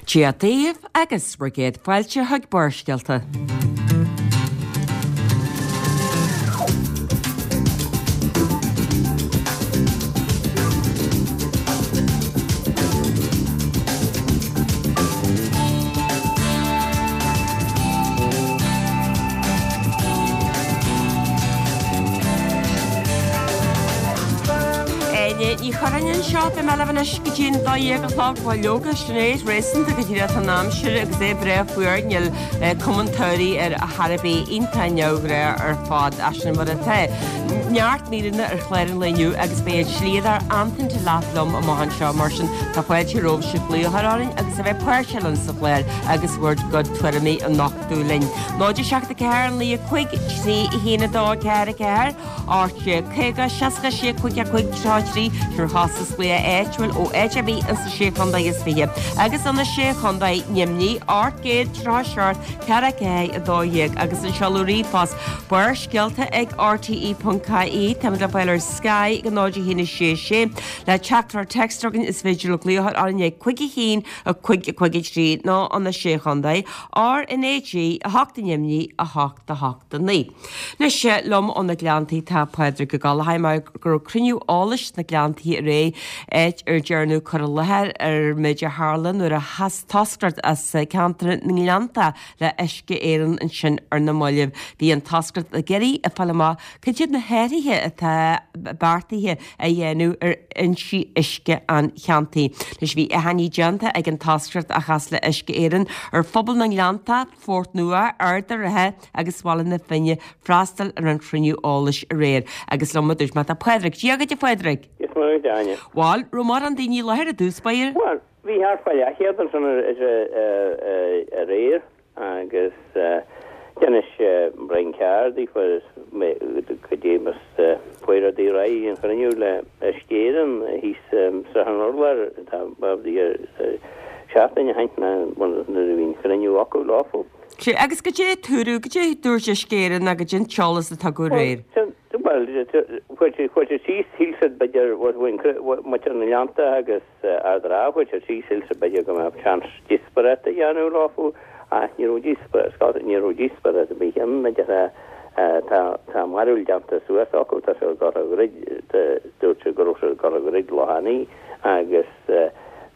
Dia daoibh agus bhur gcéad fáilte chuig Barrscéalta. Áine Ní Churráin anseo, beidh mé libh anois go dtí an 12 a chlog, bhuel leoga, Sinéad, réasúnta go díreach an aimsir agus é breá fuar, níl cuma an tsamhraidh air ar chor ar bith, iontach neamhghnách ar fad, ach sin mar atá. Neart míreanna ar chlár an lae inniu agus beidh an slíodóir Antain Delap liom amach anseo, mar sin tá fáilte romhaibhse glaoch a chur orainn agus a bheith páirteach linn sa chlár agus bhur gcuid tuairimí a nochtadh linn. 0 7 4 9 5 3 1 2 4 4 18 50 66 5 5 33 Sin ar chostas glaoch áitiúil ó áit ar bith ins na Sé Chontae is Fiche agus ó na Sé Chontae Nimhní 837 4 4 12 agus an seoladh ríomhphost Barrscéalta ag rte.ie Táimid le fáil ar Sky ag 0 1 6 6 Le teachtaireacht téacs chugainn is féidir libh glaoch orainn ag 5 1 5 5 3 nó ó na Sé Chontae RnaG 8 Nimhní 8 8 9. Anois liom ó na Gleanntaí tá Pádraig Ó Gallchóir mar go raibh cruinniú eolais sna Gleanntaí aréir áit ar dearnadh cur i láthair ar an méid a tharla nuair a chas toscaireacht as ceantar na nGleannta le Uisce Éireann ansin ar na mallaibh. Bhí an toscaireacht ag iarraidh a fáil amach cad iad na hathruithe atá beartaithe a dhéanamh ar fhoinsí uisce an cheantair. Anois bhí achainí déanta ag an toscaireacht a chas le Uisce Éireann ar phobal na nGleannta, Phort Nua, Ard an Rátha agus Bhaile na Finne freastal ar an chruinniú eolais aréir. Agus liom a dúirt mé tá Pádraig. Dia dhuit a Phádraig. Dia is Muire dhuit a Áine. Bhal, raibh mórán daoine i láthair i dtús báire? Bhuel, bhí thart fá leathchéad ansan aréir agus d'inis Brian Carr daofa cad é mar a chuaigh rudaí ar aghaidh an chruinniú le Uisce Éireann thíos Srath an Urláir tá seachtain ó shin nuair a bhí an chruinniú acu leofa. Sea, agus cad é a dúradh, cad é a dúirt Uisce Éireann nó cad é an t-eolas a tugadh aréir? Bhuel, chuir siad síos, shíl siad b'fhéidir, muintir na nGleannta agus Ard an Rátha, chuir siad síos, shíl siad b'fhéidir go mbeadh seans díospóireacht a dhéanamh leofa ach ní raibh díospóireacht, ní raibh díospóireacht ar bith ann, maidir tá tá a mbarúil déanta suas acu, tá siad ag dul a dhruid, dúirt siad go raibh siad ag dul a dhruid Loch Eanaigh agus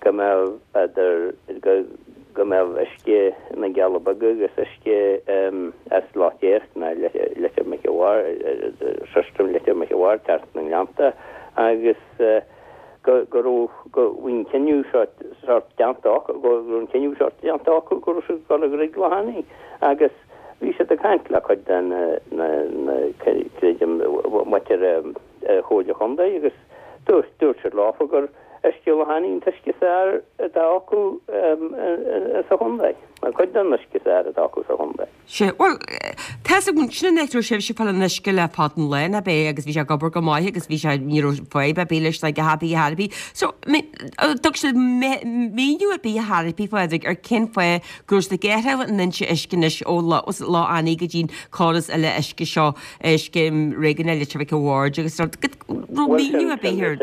go mbeadh idir, go go mbeadh uisce na gCealla Beaga agus uisce as Loch Déirc ná Leitir Mhic a' Bhaird, system Leitir Mhic a' Bhaird teacht sna Gleannta agus go go raibh go bhí an cinneadh seo sórt déanta acu go raibh an cinneadh sórt déanta acu go raibh siad ag dul a dhruid Loch Eanaigh agus bhí siad ag caint le cuid de na na na creidim muintir Chomhairle Chontae agus dúirt dúirt siad leofa gur uisce Loch Eanaigh an t-uisce is fearr atá acu sa chontae, nó cuid den uisce is fearr atá acu sa chontae. Sea, bhuel, tá's agam, sin an áit a raibh sibhse ag fáil an uisce le fada an lá, nach ea, agus bhí sé ag obair go maith agus bhí sé, ní raibh fadhb ar bith leis ná a dhath ar bith ar bith. So, thug siad míniú ar bith ar bith, Phádraig, ar cén fáth go raibh siad ag athrú an fhoinse uisce anois ó Loch Eanaigh go dtí an córas eile uisce seo scéim réigiúnach Leitir Mhic a' Bhaird agus raibh míniú ar bith ar.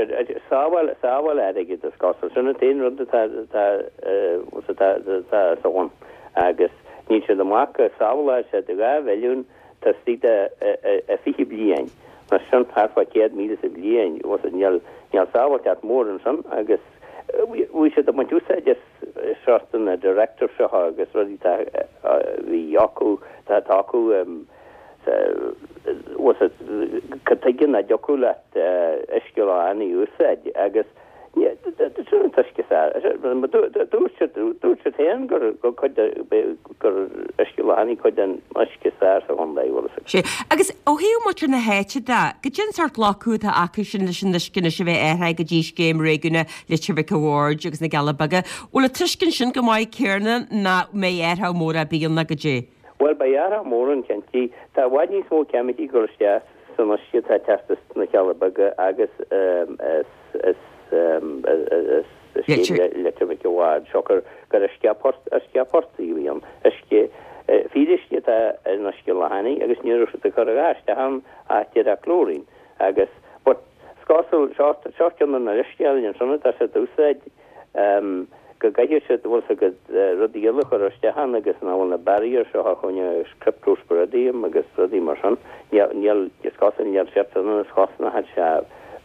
Sábháil, sábháil airgid is cosúil. Sin an t-aon rud atá, atá, atá, atá sa bhun. Agus níl siad amach go sábhálfaidh siad 2 mhilliún taobh istigh de 20 bliain. Mar sin thart fá 100,000 sa bhliain. Níl, níl sábháilteacht mór ansin agus bhí siad ag baint úsáid as sórt na directive seo agus rudaí atá, bhí acu, tá acu. Cad tuige nach dtiocfadh leat uisce Loch Eanaigh a úsáid agus sin an t-uisce is fearr. Dúirt siad dúirt siad féin gur cuid de gur uisce Loch Eanaigh cuid den uisce is fearr sa chontae, bhfuil fhios agat. Sea. Agus ó thaobh muintir na háite de, cad é an sórt glacadh atá acu sin leis an uisce anois a bheith athraithe go dtí scéim réigiúnach Leitir Mhic a' Bhaird agus na gCealla Beaga? Bhfuil an tuiscint sin go maith céarna nach mbeidh athrú mór ar bith ann ná cad é? Bhuel, beidh athrú mór ann, cinnte. Tá i bhfad níos mó ceimicí ag dul isteach san uisce atá ag teacht as na Cealla Beaga agus as scéim Leitir Mhic a' Bhaird, siocair gur uisce portaigh a bhí ann. Uisce, fíoruisce atá in uisce Loch Eanaigh agus ní raibh siad ag cur a dhath isteach ann ach díreach chlorine agus, but, is cosúil, seo ceann de na leithscéalta ansin atá siad a úsáid. go gcaithfidh siad, bhfuil 's agat, rudaí eile a chur isteach ann agus nach bhfuil na barriers seo a choinne agus cryptosporidium agus rudaí mar sin, níl, níl, is cosúil, níl siad san is chosnóidh sé,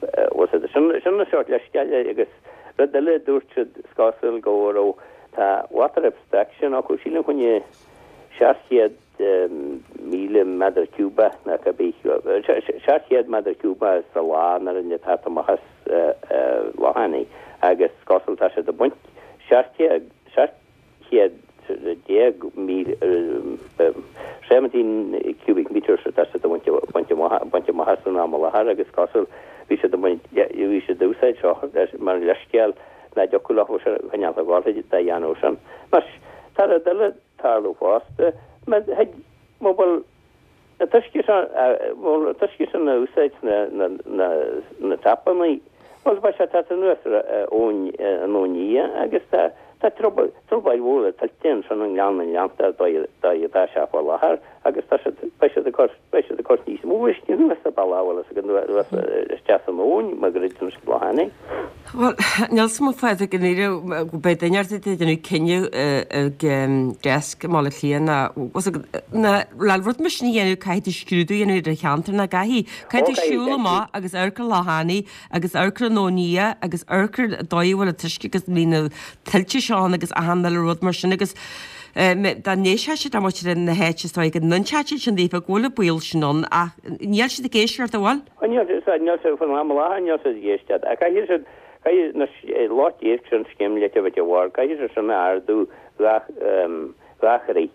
bhfuil 's agat, sin, sin an sórt leithscéal agus rud eile a dúirt siad, is cosúil go raibh, tá water abstraction acu, sílim choinne 700,000 méadar ciúbach nó cibé, 700 méadar ciúbach sa lá nuair a atá amach as Loch Eanaigh agus is cosúil tá siad ag baint 17,000, 17 cubic metres atá siad ag baint baint amach as an am i láthair agus is cosúil bhí siad ag baint, bhí siad ag úsáid seo mar leithscéal nach dtiocfadh leo cineál a ghabháil dá dhéanamh sin. Anois, tá rud eile. tarlú fosta. Má thig, má bhfuil an t-uisce seo, bhfuil an t-uisce sin a úsáid sna, na, na tapannaí, bhuel beidh sé ag teacht anuas ar abhainn, an Abhainn Liath agus tá, tá trioblóid, trioblóid mhór le tuilte ansin i nGleann na nGleannta ar dóigh, dóigh atá sé faoi láthair agus tá siad, beidh siad ag cur, beidh siad ag cur níos mó uisce anuas sa bealach, bhfuil a fhios agat, anuas isteach san abhainn má dhruideann siad Loch Eanaigh. Bhuel, níl 's agam a Phádraig i ndáiríre go mbeidh duine ar bith ag déanamh cinneadh ag desk i mBaile Átha Cliath ná ná le rud mar sin a dhéanamh caithfidh tú scrúdú a dhéanamh ar an cheantar nach gcaithfidh? Caithfidh tú siúl amach agus amharc ar Loch Eanaigh agus amharc ar an Abhainn Liath agus amharc ar an dóigh a bhfuil an t-uisce agus bhí na tuilte seo ann agus achan uile rud mar sin agus dá n-éistfeadh siad le muintir na háite is dóigh go n-inseodh siad sin daofa go bhfuil an baol sin ann ach níl siad ag éisteacht an bhfuil? Níl siad, níl siad, faoin am i láthair níl siad ag éisteacht. Ach caithfidh siad, caithfidh na lucht iasc sin scéim leitir mhic a' Bhaird, caithfidh siad sin a ardú dhá throigh.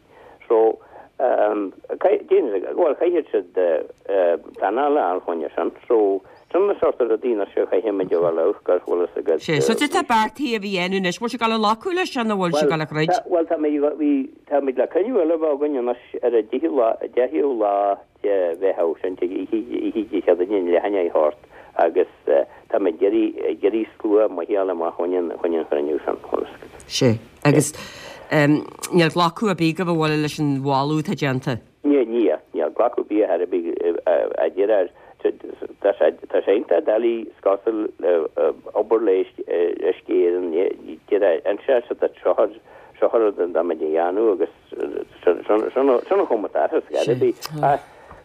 So, caithfidh, bhuel, caithfidh siad pleanáil a fháil fá choinne sin. So, sin na sórt rudaí anois a chaithfidh muid a dhul amharc air, bhfuil fhios agat. Sea, so cad tá beartaithe a bheith a dhéanamh anois, bhfuil sé ag dul a ghlacadh leis seo nó bhfuil sé ag dul a throid? Bhuel, tá mé, bhí, tá muid le cruinniú eile a bheith againn anois ar an deichiú lá, deichiú lá de Mheitheamh, sin oíche Dé Céadaoine leath i ndiaidh a hocht agus tá mé ag iarraidh slua maith a fháil amach chun an chruinniú sin. Sea, agus níl glacadh ar bith agaibh a bhfuil leis an mholadh atá déanta? Níl, níl, níl glacadh ar bith ar bith a deir tá sé tá sé iontach doiligh is cosúil obair le Uisce Éireann deir inse siad duit seo seo an rud atá muid a dhéanamh agus Sin an chuma atá air, ar bith. Ach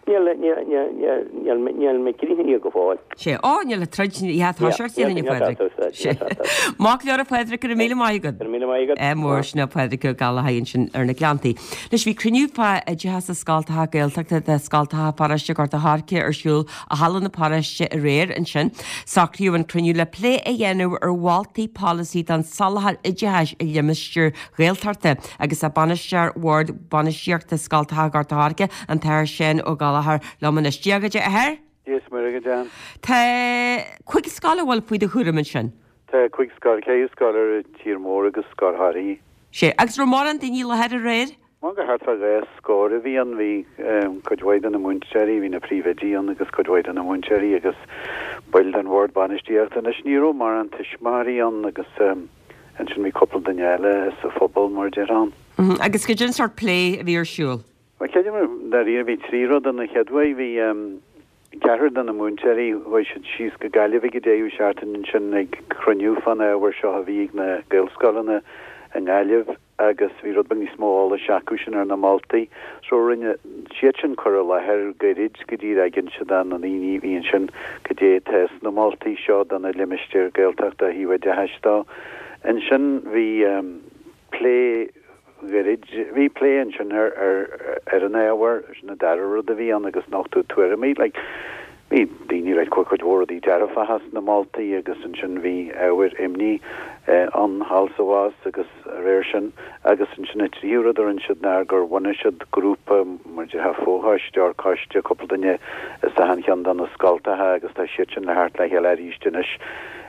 níl, níl, níl, níl, níl, níl mé críochnaithe go fóill. Sé, Ó, níl an troid, ní hea, tá sé ar siúl inniu, a Phádraig. Sé. Maith go leor a Phádraig, go raibh míle maith agat. Go raibh míle maith agat. Ádh mór, sin é Pádraig Ó Gallchóir ansin ar na Gleanntaí. Anois bhí cruinniú fá oideachas i scoltacha Gaeltachta de scoltacha pharóiste Ghort a' Choirce ar siúl i Halla na Paróiste aréir ansin. Socraíodh an cruinniú le plé a dhéanamh ar mholtaí polasaí don soláthar oideachais i limistéir Ghaeltachta agus tá Bainisteoir Bhord Bainistíochta Scoltacha Ghort a' Choirce, an tAthair Seán Ó Gallchóir, liom anois. Dia dhuit, a Athair. Dia is Muire dhuit, Ann. Tá cuig scoil a bhfuil faoi do chúram ansin. Tá cuig scoil, ceithre scoil ar an tír mór agus scoil Thoraí. Sé. Agus raibh mórán daoine i láthair aréir? Bhuel, go thart fá dhá scór a bhí ann. Bhí cuid mhaith de na múinteoirí, bhí na príomhoidí ann agus cuid mhaith de na múinteoirí agus baill den bhord bainistíochta. Anois ní raibh mórán tuismitheoirí ann agus ansin bhí cúpla duine eile sa phobal, mar a déarfá ann. Agus cad é an sórt plé a bhí ar siúl? Bhuel, creidim, dáiríre, bhí trí rud ann. An chéad uair, bhí ceathrar de na múinteoirí, chuaigh siad síos go Gaillimh ag an deireadh seachtaine ansin ag cruinniú fán ábhar seo a bhí ag na Gaelscoileanna i nGaillimh. agus bhí rud beag níos mó eolais acu sin ar na moltaí. So rinne siad sin cur i láthair gairid go díreach ag inse do na daoine a bhí ansin cad é atá sna moltaí seo do na limistéir Gaeltachta ó thaobh oideachais dó. Ansin bhí plé gairid, bhí plé ansin ar ar an ábhar, sin an dara rud a bhí ann agus nochtadh tuairimí like Bhí daoine ag ráit go bhfuil cuid mhór rudaí dearfacha sna moltaí agus ansin bhí ábhair imní ann thall is abhus agus a réir sin. Agus ansin an tríú rud a rinne siad ná gur bhunaigh siad grúpa, mar a déarfá fochoiste or coiste, cúpla duine as achan cheann de na scoltacha agus tá siad sin le theacht le chéile arís anois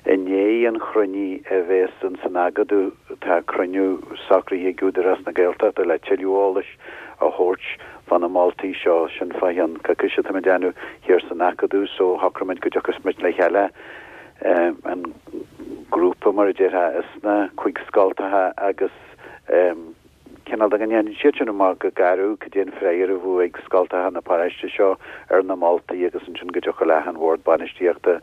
i ndiaidh an chruinnithe a bhéas ins an Acadamh. Tá cruinniú socraithe ag Údarás na Gaeltachta le tuilleadh eolais a thabhairt fá na moltaí seo, sin fá cheann coicíse atá muid ag déanamh thiar san Acadamh so shocraigh muid go dtiocfas muid le chéile, an grúpa mar a déarfá as na cuig scoltacha agus. Cineál de go ndéanann siad sin amach go garbh cad é an freagra a bheadh ag scoltacha na paróiste seo ar na moltaí agus ansin go dtiocfadh le an Bhord Bainistíochta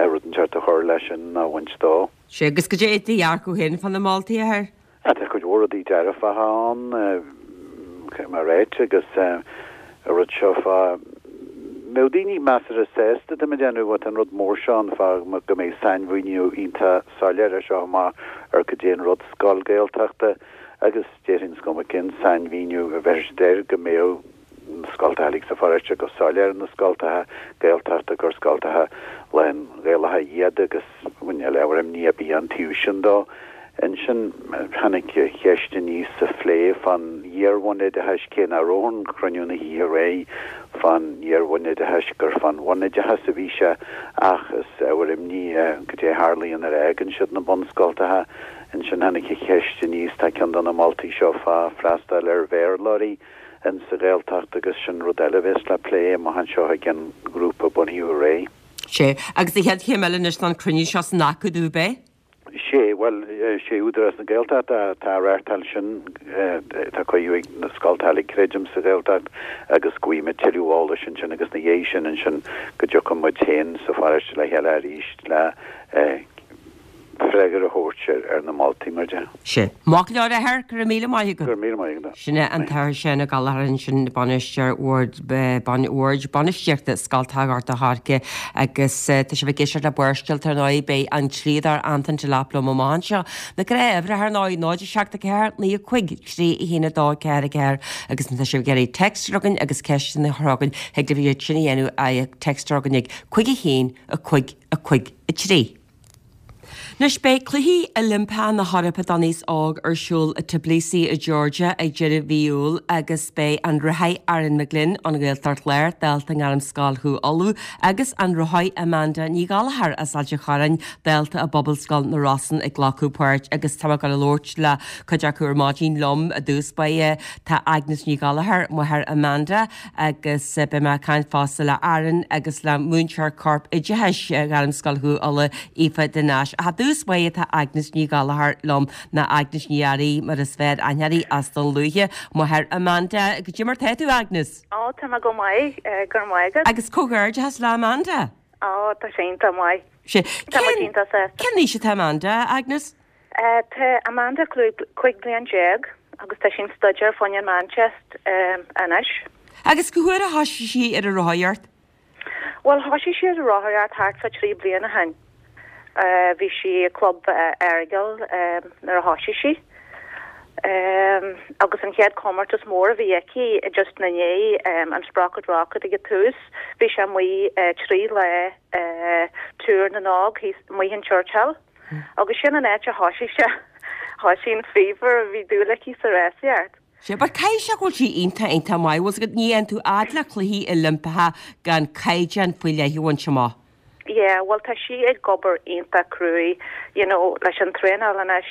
rud inteacht a chur leis sin nó a bhaint dó. Sea, agus cad é do dhearcadh féin fá na moltaí, a Athair? Tá cuid mhór rudaí dearfacha ann, mar ráite, agus an rud seo fá mbeadh daoine measartha sásta, tá mé ag déanamh, tá an rud mór seo ann fá go mbeidh sainmhíniú iontach soiléir as seo amach ar cad é an rud scoil Gaeltachta agus déarfainn is cuma cén sainmhíniú a bheir siad air go mbeadh na scoltacha uilig sa pharóiste go soiléir na scoltacha Gaeltachta gur scoltacha lán-Ghaelacha iad agus níl ábhar imní ar bith an taobh sin dó. Ansin tháinig ceist aníos sa phlé fán iar-bhunoideachais, cé nach raibh an cruinniú na hoíche aréir fán iar-bhunoideachais gur fán bhunoideachas a bhí sé ach is ábhar imní cad é a tharlaíonn nuair a fhágann siad na bunscoltacha. Ansin tháinig an cheist aníos, tá ceann de na moltaí seo fá freastal ar Bhéarlóirí. in sa Ghaeltacht agus sin rud eile a bheas le plé amach anseo ag an ngrúpa a bunaíodh aréir. Sea, agus an chéad chéim eile anois ná an cruinniú seo san Acadamh, ab é? Sea, bhuel, sé Údarás na Gaeltachta atá á reáchtáil sin, tá cuireadh ag na scoltacha uilig, creidim, sa Ghaeltacht agus go bhfaighidh muid tuilleadh eolais ansin agus ina dhiaidh sin ansin go dtiocfaidh muid féin sa pharóiste le chéile arís le freagra a thabhairt ar na moltaí, mar a déarfá. Sea. Maith go leor, a Athair, go raibh míle maith agat. Go raibh míle maith agat. Sin é an tAthair Seán Ó Gallchóir ansin, Bainisteoir Bhord Bord Bainistíochta Scoltacha Ghort a' Choirce agus tá sibh ag éisteacht le Barrscéalta ar ndóigh, beidh an dlíodóir Antain Delap liom amach anseo. Na gnáthuimhreacha ar ndóigh, 0 7 4 9 5 3 1 2 4 4 agus má tá sibh ag iarraidh text a chur chugainn agus ceisteanna a chur chugainn, thig libh iad sin a dhéanamh ag text a chur chugainn ag 5 1 5 5 3. Anois beidh Cluichí Oilimpeacha na hEorpa don Aos Óg ar siúl i Tbilisi i Georgia ag deireadh mhí Iúil agus beidh an rothaí Aaron McGlynn ón Ghaeltacht Láir, dalta i nGairmscoil Chú Uladh, agus an rothaí Amanda Ní Ghallchóir as Ailt an Chorráin, dalta i bPobalscoil na Rosann ag glacadh páirt agus tá mé ag dul a labhairt le cuid acu ar maidin liom i dtús báire. Tá Agnes Ní Ghallchóir, máthair Amanda, Agus beidh mé ag caint fosta le Aaron agus le múinteoir corp oideachais Ghairmscoil Chú Uladh, Aoife de Nais. Ach i dtús báire tá Agnes Ní Ghallchóir liom, nó Agnes Ní Fhearraigh mar is fearr aithne uirthi as Dún Lúiche, máthair Amanda. Goidé mar tá tú, Agnes? Ó, tá mé go maith, go raibh maith agat. Agus comhghairdeachas le Amanda. Ó, tá sé iontach maith. Sé. Tá muid iontach sásta. Cén aois atá Amanda, Agnes? Tá Amanda 15 bliain agus tá sí ag staidéar fá choinne an Meánteist anois. Agus cá huair a thoisigh sí ar an rothaíocht? Bhuel, thoisigh sí ar an rothaíocht thart fá 3 bliana ó shin. Bhí sí i gclub Errigal nuair a thoisigh sí. Agus an chéad comórtas mór a bhí aici just ina ndiaidh an Sprocket Rocket ag an tús, bhí sé amuigh 3 lá Tour na nÓg thíos amuigh in Churchill. Agus sin an áit a thoisigh sé, thoisigh an fever a bhí dúil aici sa rásaíocht. Sea, but caithfidh sé go bhfuil sí iontach, iontach maith. Bhfuil 's agat, ní théann tú fhad le cluichí Oilimpeacha gan caighdeán faoi leith a bhaint amach. Yeah, bhuel tá sí ag obair iontach cruaidh, you know, leis an traenáil anois.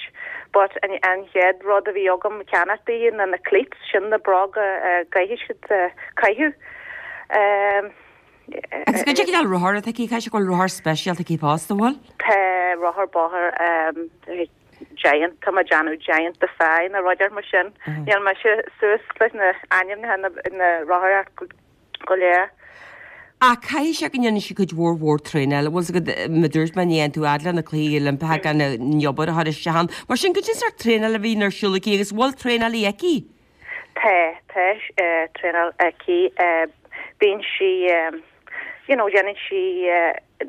But an, an chéad rud a bhí agam ceannacht di ná na cleats, sin na bróga a gcaithfidh siad caitheamh. Um, Agus goidé an cineál rothar atá aici, caithfidh sé go bhfuil rothar speisialta aici fosta, an bhfuil? Tá rothar bóthair Giant, tá mé ag déanamh Giant Defy nó rud mar sin. Níl mise suas leis na ainmneacha na rothair go léir. Ach caithfidh sé go ndéanann sí cuid mhór mhór traenáil, bhfuil 's agat, mar a dúirt mé, ní théann tú fhad le na Cluichí Oilimpeacha gan an obair a chur isteach ann. Mar sin, goidé an sórt traenáil a bhíonn ar siúl aici agus bhfuil traenálaí aici? Tá, tá traenáil aici. Bíonn sí, you know, déanann sí,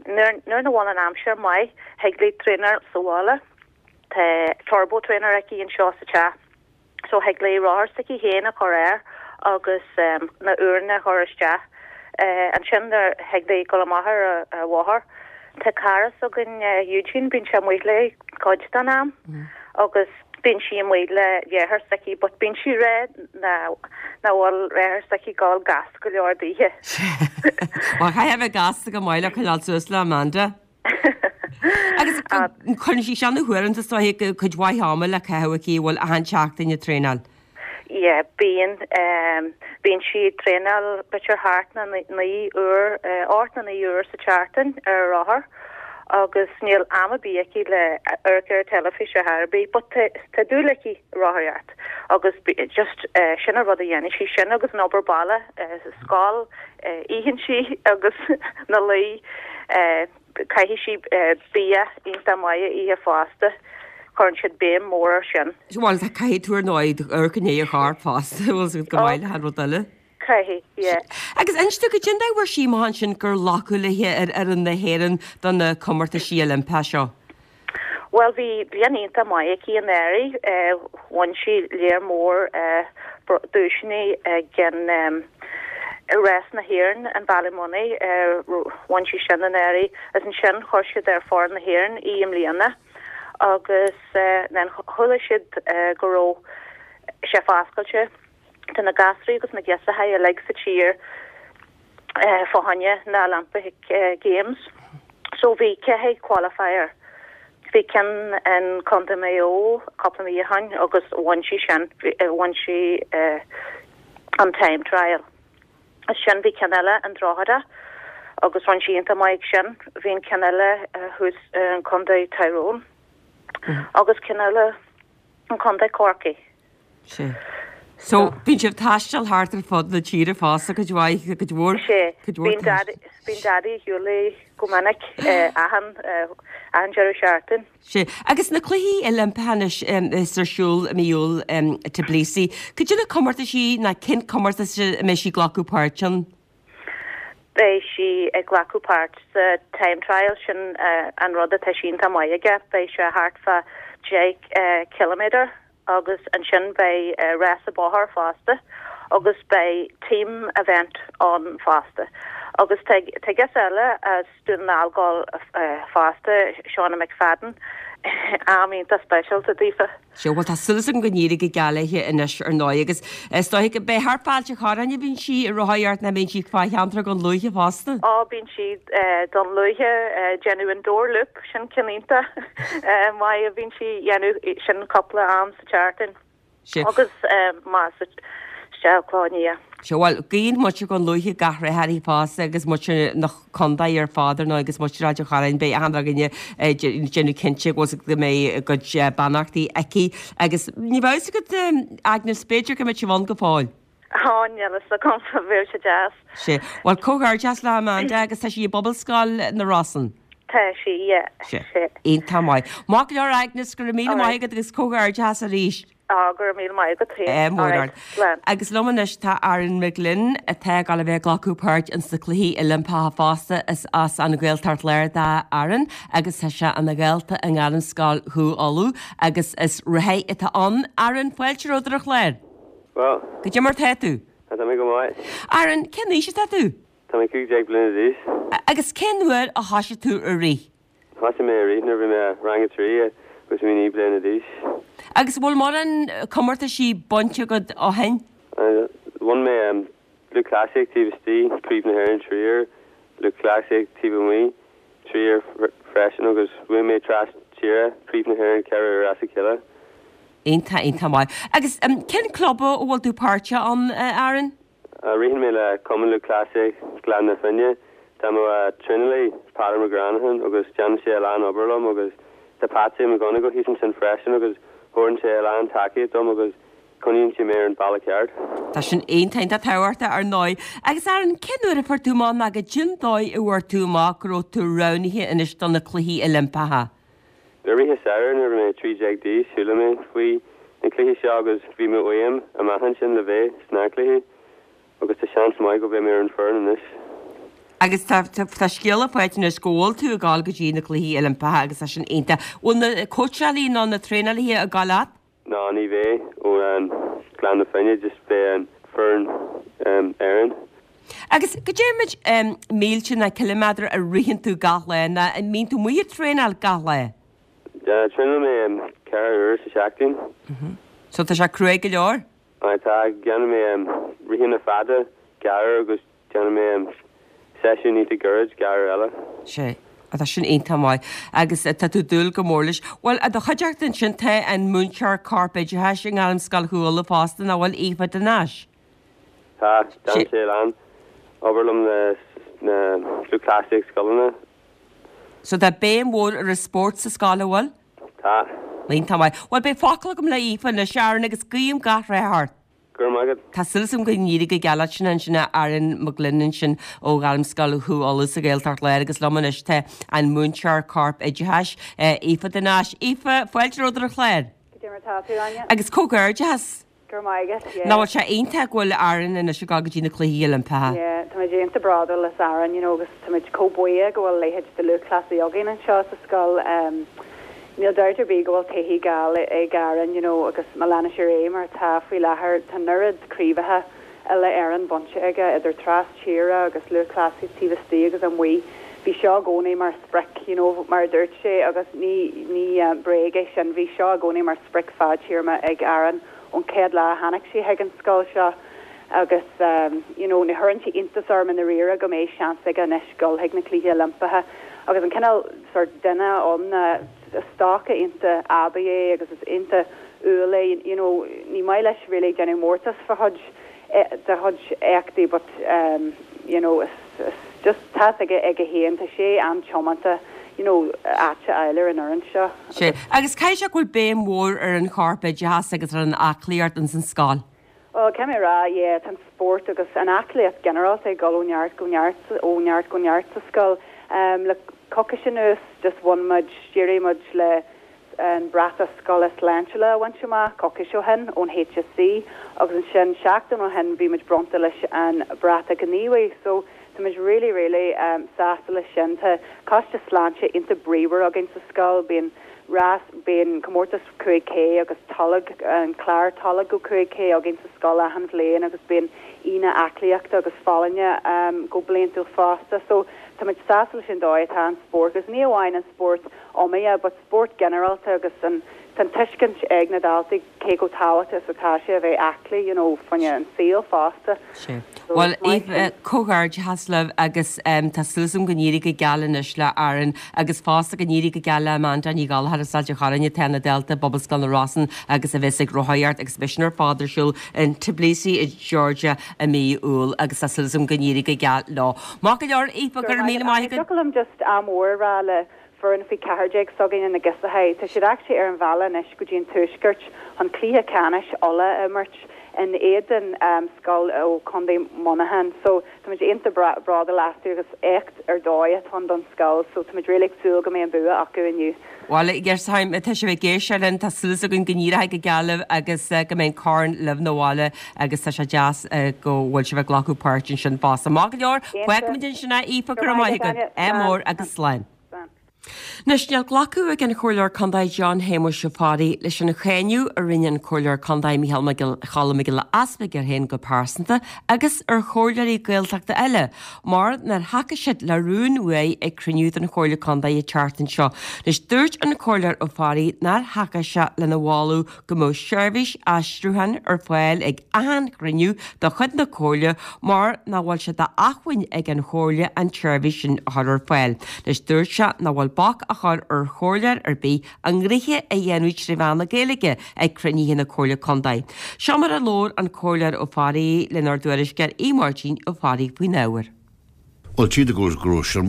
nuair nuair nach bhfuil an aimsir maith, thig léi traenáil sa bhaile. Tá turbo trainer aici anseo sa teach. So thig léi rothar s'aici féin a chur air agus na uaireanna a chur isteach. Ansin nuair thig léi dul amach ar an bhóthar. Tá cara s'againn, Eugene, bíonn sé amuigh léi cuid den am agus bíonn sí amuigh le dheartháir s'aici but bíonn sí ag rá nach bhfuil deartháir s'aici ag dul gasta go leor daoithe. Bhuel, caithfidh a bheith gasta go maith le coinneáil suas le Amanda. Agus cuireann sí seo na huaireanta is dóiche cuid mhaith ama le caitheamh aici, bhfuil achan tseachtain ag traenáil. Yeah, bíonn, bíonn sí ag traenáil b'fhéidir thart na 9 uair, 8 nó 9 uair sa tseachtain ar a rothar agus níl am ar bith aici le amharc ar an teilifís ar chor ar bith but tá dúil aici rothaíocht. Agus just sin an rud a dhéanann sí, sin agus an obair baile sa scoil, itheann sí agus ina luí, caithfidh sí bia iontach maith a ithe fosta, cuireann siad béim mhór ar sin. Bhuel, caithfidh tú ar ndóigh amharc i ndiaidh an choirp fosta, bhfuil 's agat go maith le hachan rud eile. Caithfidh, yeah. Agus inis dom goidé an dóigh a bhfuair sí amach ansin gur glacadh léi ar fhoireann na hÉireann do na comórtaisí Oilimpeacha seo? Bhuel, bhí bliain iontach maith aici anuraidh. Bhain sí léar mór duaiseanna ag an Rás na hÉireann in Ballymoney. Bhain sí sin anuraidh agus ansin chuir siad ar foireann na hÉireann í i mbliana agus then chuala siad go raibh sé foscailte do na gasraí agus na girseachaí uilig sa tír fá choinne na Olympic Games. So bhí ceithre qualifier. Bhí ceann in Contae Maigh Eo cúpla mí ó shin agus bhain sí sin, bhain sí an time trial. Ansin bhí ceann eile in Drogheda agus rinne sí iontach maith ag sin. Bhí an ceann eile thuas in Contae Tyrone agus ceann eile in Contae Corcaigh. Sea. So, bíonn sibh ag taisteal thart ar fud na tíre fosta, cuid mhaith, cuid mhór, Sea. cuid mhór Bíonn Daddy, bíonn Daddy ar shiúl léi go minic, achan, achan deireadh seachtaine. Sea. Agus na Cluichí Oilimpeacha anois is ar siúl i mí Iúil i Tbilisi, cad é na comórtaisí ná cén comórtas a mbeidh sí ag glacadh páirt ann? Beidh sí ag glacadh páirt sa time trial, sin an rud atá sí iontach maith aige. Beidh sé thart fá 10 ciliméadar agus ansin beidh rása bóthair fosta agus beidh team event ann fosta. Agus tá girseach eile as Dún na nGall ag gabháil fosta, Shauna McFadden, am iontach speisialta daofa. Sea, bhuel tá súil agam go n-éireoidh go geal léi anois ar ndóigh agus is dóigh go mbeidh thart fá Ailt an Chorráin a bhíonn sí ag rothaíocht nó bíonn sí fá cheantar Dhún Lúiche fosta? Ó, bíonn sí Dún Lúiche, déanamh an Dore Loop, sin ceann iontach maith a bhíonn sí dhéanamh sin cúpla am sa tseachtain agus más isteach Cloich Nia. Sea, bhuel, guíonn muintir Dhún Lúiche gach rath uirthi fosta agus muintir na contae ar fad ar ndóigh agus muintir Ailt an Chorráin, beidh achan duine ag déanamh cinnte go bhfuil go mbeidh a gcuid beannachtaí aici agus ní bheadh fhios agat, Agnes, b'fhéidir go mbeidh sibh ann go fóill. Á, níl fhios agam, bheadh sé deas. Sea. Bhuel, comhghairdeas le Amanda agus tá sí i bPobalscoil na Rosann. Tá sí, yeah. Sea. Iontach maith. Maith go leor Agnes, go raibh míle maith agat agus comhghairdeas arís. Á, go raibh míle maith agat féin. Eh, mór ard. Slán. Agus liom anois tá Aaron McGlynn atá ag dul a bheith ag glacadh páirt ins na Cluichí Oilimpeacha fosta. Is as an Ghaeltacht Láir do Aaron agus tá sé ina dhalta i nGairmscoil Chú Uladh agus is rothaí atá ann. Aaron, fáilte romhat ar an chlár. Bhuel. Goidé mar tá tú? Tá mé go maith. Aaron, cén aois atá tú? Tá mé 15 bliana d'aois. Agus cén uair a thoisigh tú ag rith? Thoisigh mé ag rith nuair a bhí mé i rang a 3 agus bhí mé 9 bliana d'aois. Agus an bhfuil mórán comórtaisí bainte agat ó shin? Bhain mé lúthchleasaíocht taobh istigh, Craobh na hÉireann 3 uair, lúthchleasaíocht taobh amuigh 3 uair freisin agus bhuaigh mé tras tíre, Craobh na hÉireann 4 uair as a chéile. Iontach, iontach maith. Agus cén club a bhfuil tú páirteach ann, a Aaron? Ritheann mé le Cumann Lúthchleasaíocht Ghleann na Finne. Tá mo traenálaí, Peadar McGranahan, agus déanann sé a lán obair liom agus tá Patsy McGonigal thíos ansin freisin agus thabharann sé a lán tacaíocht dom agus coinníonn sé mé ar an bealach ceart. Tá sin iontach, iontach tábhachtach ar ndóigh. Agus Aaron, cén uair a fuair tú amach nó goidé an dóigh a bhfuair tú amach go raibh tú roghnaithe anois do na Cluichí Oilimpeacha? I rith an samhradh nuair a bhí mé 13 d'aois chuala mé faoi na cluichí seo agus bhí mé uaim amach ansin le bheith sna cluichí agus tá seans maith go mbeidh mé ar an foireann anois. Agus tá tá scéala faighte anois go bhfuil tú ag dul go dtí na Cluichí Oilimpeacha agus tá sin iontach. Bhfuil na cóitseálaí nó na traenálaithe ag dul leat? Ná ní bheidh ó Gleann na Finne, just beidh an foireann Éireann. Agus goidé méid mílte ná ciliméadar a ritheann tú gach lá nó an mbíonn tú amuigh ag traenáil gach lá? Traenálann mé 4 uair sa seachtain. So tá sé cruaidh go leor? Aye tá, déanann mé ritheanna fada, gearr agus Déanann mé seisiún iontach gairid, gearr eile. Sea. Tá sin iontach maith. Agus tá tú ag dúil go mór leis. Bhuel, i do chuideachta ansin tá an múinteoir corpoideachais i nGairmscoil Chú Uladh fosta, nach bhfuil, Aoife de Nais? Tá. Déanann sí a lán obair liom le na lúthchleasaíocht scoileanna. So tá béim mhór ar an spórt sa scoil, an bhfuil? Tá. Iontach maith. Bhuel beidh focal agam le Aoife anois, Aaron, agus guím gach rath ort. Go raibh maith agat. Tá súil agam go n-éireoidh go geal leat sin ansin a Aaron McGlynn ansin ó Ghairmscoil Chú Uladh sa Ghaeltacht Láir agus liom anois tá an múinteoir corp oideachais, Aoife de Nais. Aoife, fáilte romhat ar an chlár. Cad é mar atá tú, Áine? Agus comhghairdeachas. Go raibh maith agat, yeah. Nach bhfuil sé iontach go bhfuil Aaron anois ag dul go dtí na Cluichí Oilimpeacha? Yeah, táimid iontach bródúil as Aaron, you know, agus táimid chomh buíoch go bhfuil a leithéid de lúthchleasaí againn anseo sa scoil. Níl dabht ar bith go bhfuil taithí geal ag Aaron, you know, agus má leanann sé ar aghaidh mar atá faoi láthair, tá an oiread craobhacha uile-Éireann bainte aige, idir tras tíre agus lúthchleasaí taobh istigh agus amuigh. Bhí seo i gcónaí mar sprioc, you know, mar a dúirt sé, agus ní, ní bréag é sin, bhí seo i gcónaí mar sprioc fadtéarma ag Aaron ón chéad lá a tháinig sé chuig an scoil seo agus, you know, ní chuireann sé iontas orm i ndáiríre go mbeidh seans aige anois dul chuig na Cluichí Oilimpeacha agus an cineál sort duine ann ná is dócha iontach aibí é agus is iontach umhal é, you know, ní maith leis really déanamh mórtas fá chuid dá chuid éachtaí but you know is is just tá fhios aige aige féin, tá sé an-tiomanta you know áit a fháil ar an fhoireann seo Sea, agus caithfidh sé go bhfuil béim mhór ar an chorpoideachas agus ar an aclaíocht ins an scoil. Bhuel, caithfidh mé a rá, yeah, tá an spórt agus an aclaíocht ginearálta ag dul ó neart go neart, ó neart go neart sa scoil. Le coicís anuas, just bhain muid, d'éirigh muid le an bratach scoile sláintiúla a bhaint amach coicís ó shin ón HSE agus ansin seachtain ó shin bhí muid bronnta leis an bratach gníomhaí. So, tá muid really, really sásta leis sin. Tá coiste sláinte iontach bríomhar againn sa scoil. Bíonn rás, bíonn comórtas 5K agus tolg, an clár tolg go 5K againn sa scoil achan bhliain agus bíonn Aoine aclaíochta agus folláine go bliantúil fosta. So tá muid sásta leis an dóigh atá an spórt agus ní amháin an spórt iomaíoch but spórt ginearálta agus an tá an tuiscint ag na daltaí cé chomh tábhachtach is atá sé a bheith aclaí you know fá choinne an saol fosta. Sea. Bhuel, Aoife, comhghairdeachas libh agus tá súil agam go n-éirí go geal anois le Aaron agus fosta go n-éirí go geal le Amanda Ní Ghallchóir as Ailt an Chorráin atá ina dalta i bPobalscoil na Rosann agus a bheas ag rothaíocht agus beidh sin ar fad ar siúl in Tbilisi i Georgia i mí Iúil agus tá súil agam go n-éirí go geal leo. Maith go leor, Aoife, go raibh míle maith agat. Thiocfadh liom just ádh mór a rá le foireann faoi 14 s'againne na Giosachai. Tá siad actually ar an bhealach anois go dtí an Tuaisceart chun cluiche ceannais Uladh a imirt in éadan scoil ó Chontae Mhuineacháin. So táimid iontach bródúil astu agus éacht ar dóigh atá ann don scoil so táimid really ag súil go mbeidh an bua acu inniu. Bhuel, tá sibh ag éisteacht linn, tá súil againn go n-éireoidh go geal libh agus go mbeidh an corn libh 'na bhaile agus tá sé deas go bhfuil sibh ag glacadh páirt ansin fosta. Maith go leor, fágfaimid ansin é, Aoife, go raibh maith agat. Ádh mór agus slán. Anois, níl glacadh ag an Chomhairleoir Contae John Shéamuis Ó Fearraigh leis an cháineadh a rinne an Comhairleoir Contae Micheál Mac Giolla Choilm Mac Giolla Easpaig air féin go pearsanta agus ar chomhairleoirí Gaeltachta eile mar nár thacaigh siad le rún uaidh ag cruinniú den Chomhairle Contae an tseachtain seo. Anois, dúirt an Comhairleoir Ó Fearraigh nár thacaigh sé lena mholadh go mbeadh seirbhís aistriúcháin ar fáil ag achan chruinniú de chuid na Comhairle mar nach bhfuil sé d'acmhainn ag an Chomhairle an tseirbhís sin a chur ar fáil. Anois dúirt sé nach bhfuil bac á chur ar chomhairleoir ar bith a ngnoithe a dhéanamh tré mheán na Gaeilge ag cruinnithe na Comhairle Contae. Seo mar a labhair an Comhairleoir Ó Fearraigh lenár dtuairisceoir Aodh Máirtín Ó Fearraigh faoin ábhar. Bhuel, tchífidh tú go raibh sé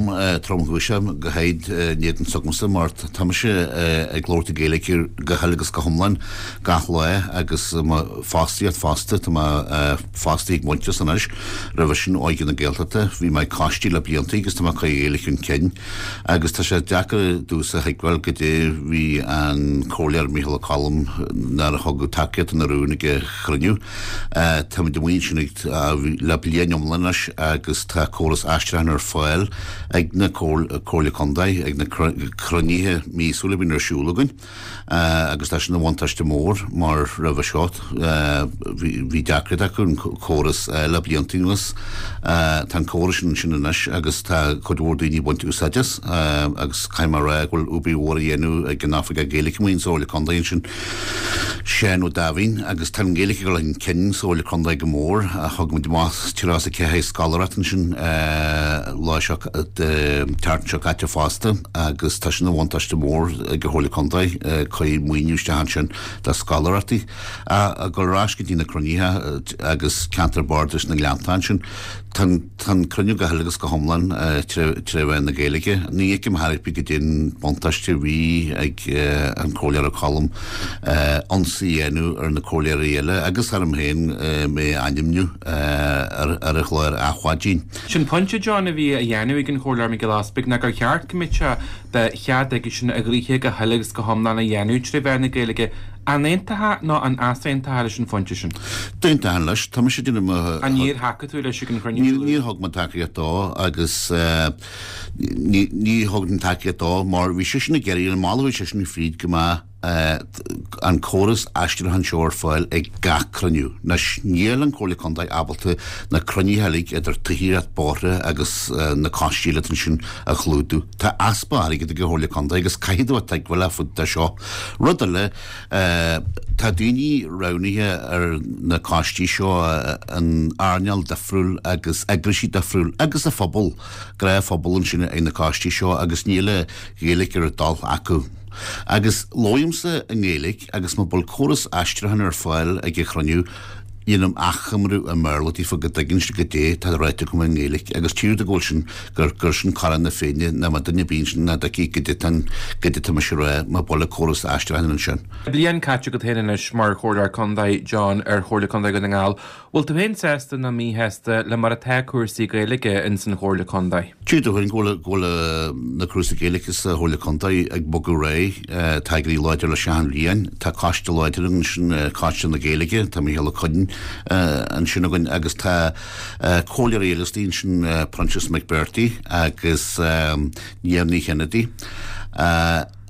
tromchúiseach go háirid in éadan s'agamsa mar tá mise ag labhairt i Gaeilge go huile agus go hiomlán gach lá agus mo fostaíocht fosta, tá mé fostaithe ag Muintearas anois, roimhe sin Óige na Gaeltachta, bhí mé ag coistí le blianta agus tá mé ag cur Gaeilge chun cinn agus tá sé deacair domhsa a thuigbheáil goidé bhí an Comhairleoir Micheál Ó Colm nár thug tacaíocht don rún ag an chruinniú. Táimid amuigh ansin ag le bliain iomlán anois agus tá córas aistriúcháin ar fáil ag na Comhairle Contae ag na cruinnithe míosúla a bhíonn ar siúl againn agus tá sin ina bhuntáiste mór mar roimhe seo bhí deacracht acu an córas le blianta anuas. Tá an córas sin ansin anois agus tá cuid mhór daoine ag baint úsáid as agus caithfidh mé a rá go bhfuil obair mhór á dhéanamh ag an Oifigeach Gaeilge amuigh sa Chomhairle Contae ansin. Seán Ó Daimhín, agus tá an Ghaeilge ag dul chun cinn sa Chomhairle Contae go mór. Thug muid amach 34 scoláireacht ansin. lá seo, tseachtain seo caite fosta agus tá sin ina bhuntáiste mór ag an Chomhairle Contae, cuireadh maoiniú isteach ansin do scoláireachtaí. Ag dul ar ais go dtí na cruinnithe agus ceantar bardais na nGleannta ansin, tá an cruinniú go huile agus go hiomlán tré mheán na Gaeilge. Ní fheicim ar chor ar bith goidé an buntáiste a bhí ag an Comhairleoir Ó Colm ionsaí a dhéanamh ar na comhairleoirí eile agus orm féin mé a ainmniú ar an chlár Adhmhaidin. Sin pointe, John, a bhí á dhéanamh ag an Chomhairleoir Mac Giolla Easbuig ná gur cheart go mbeadh sé de chead aigesean a ghnoithe go huile agus go hiomlán a dhéanamh tré mheán na Gaeilge. An aontófá nó an easaontófá leis an phointe sin? D'aontóinn leis. Tá mise ag déanamh mo. An níor thacaigh tú leis ag an chruinniú? Níor thug mé tacaíocht dó agus ní thug tacaíocht dó mar bhí seisean ag iarraidh an moladh a bhí seisean fríd go mbeadh an córas aistriúcháin seo ar fáil ag gach cruinniú. Anois, níl an Chomhairle Contae ábalta na cruinnithe uilig idir tithíocht, bóithre agus na coistí eile ansin a chlúdú. Tá easpa airgid ag an Chomhairle Contae agus caithfidh tú a tuigbheáil fá dtaobh de seo. Rud eile, tá daoine roghnaithe ar na coistí seo in earnáil difriúil agus eagraisí difriúil agus an phobal, gnáthphobal ansin ag na coistí seo agus níl an Ghaeilge ar a dtoil acu. Agus labhraímse i nGaeilge agus má bhfuil córas aistriúcháin ar fáil ag an chruinniú, dhéanaim achoimriú i mBéarla daofa go dtuigeann siad goidé tá ráite agam i nGaeilge agus tchífidh tú go bhfuil sin, gur, gur sin cora na Féinne ná má duine ar bith ansin nach dtuigfidh goidé tá, goidé tá mise a rá má bhfuil an córas aistriúcháin ansin. Bliain caite agat féin anois mar Chomhairleoir Contae, John, ar Chomhairle Contae Dhún na nGall. Bhfuil tú féin sásta nó míshásta le mar atá cúrsaí Gaeilge ins an Chomhairle Contae? Tchífidh tú féin go bhfuil go bhfuil na cúrsaí Gaeilge sa Chomhairle Contae ag bogadh ar aghaidh. Tá ag éirí láidir leis achan bhliain. Tá coiste láidir againn ansin, Coiste na Gaeilge, tá Mícheál Ó Cuinn ansin againn agus tá comhairleoirí eile istigh ansin, Proinsias Mac Breartaigh agus Niamh Ní Chinnéide.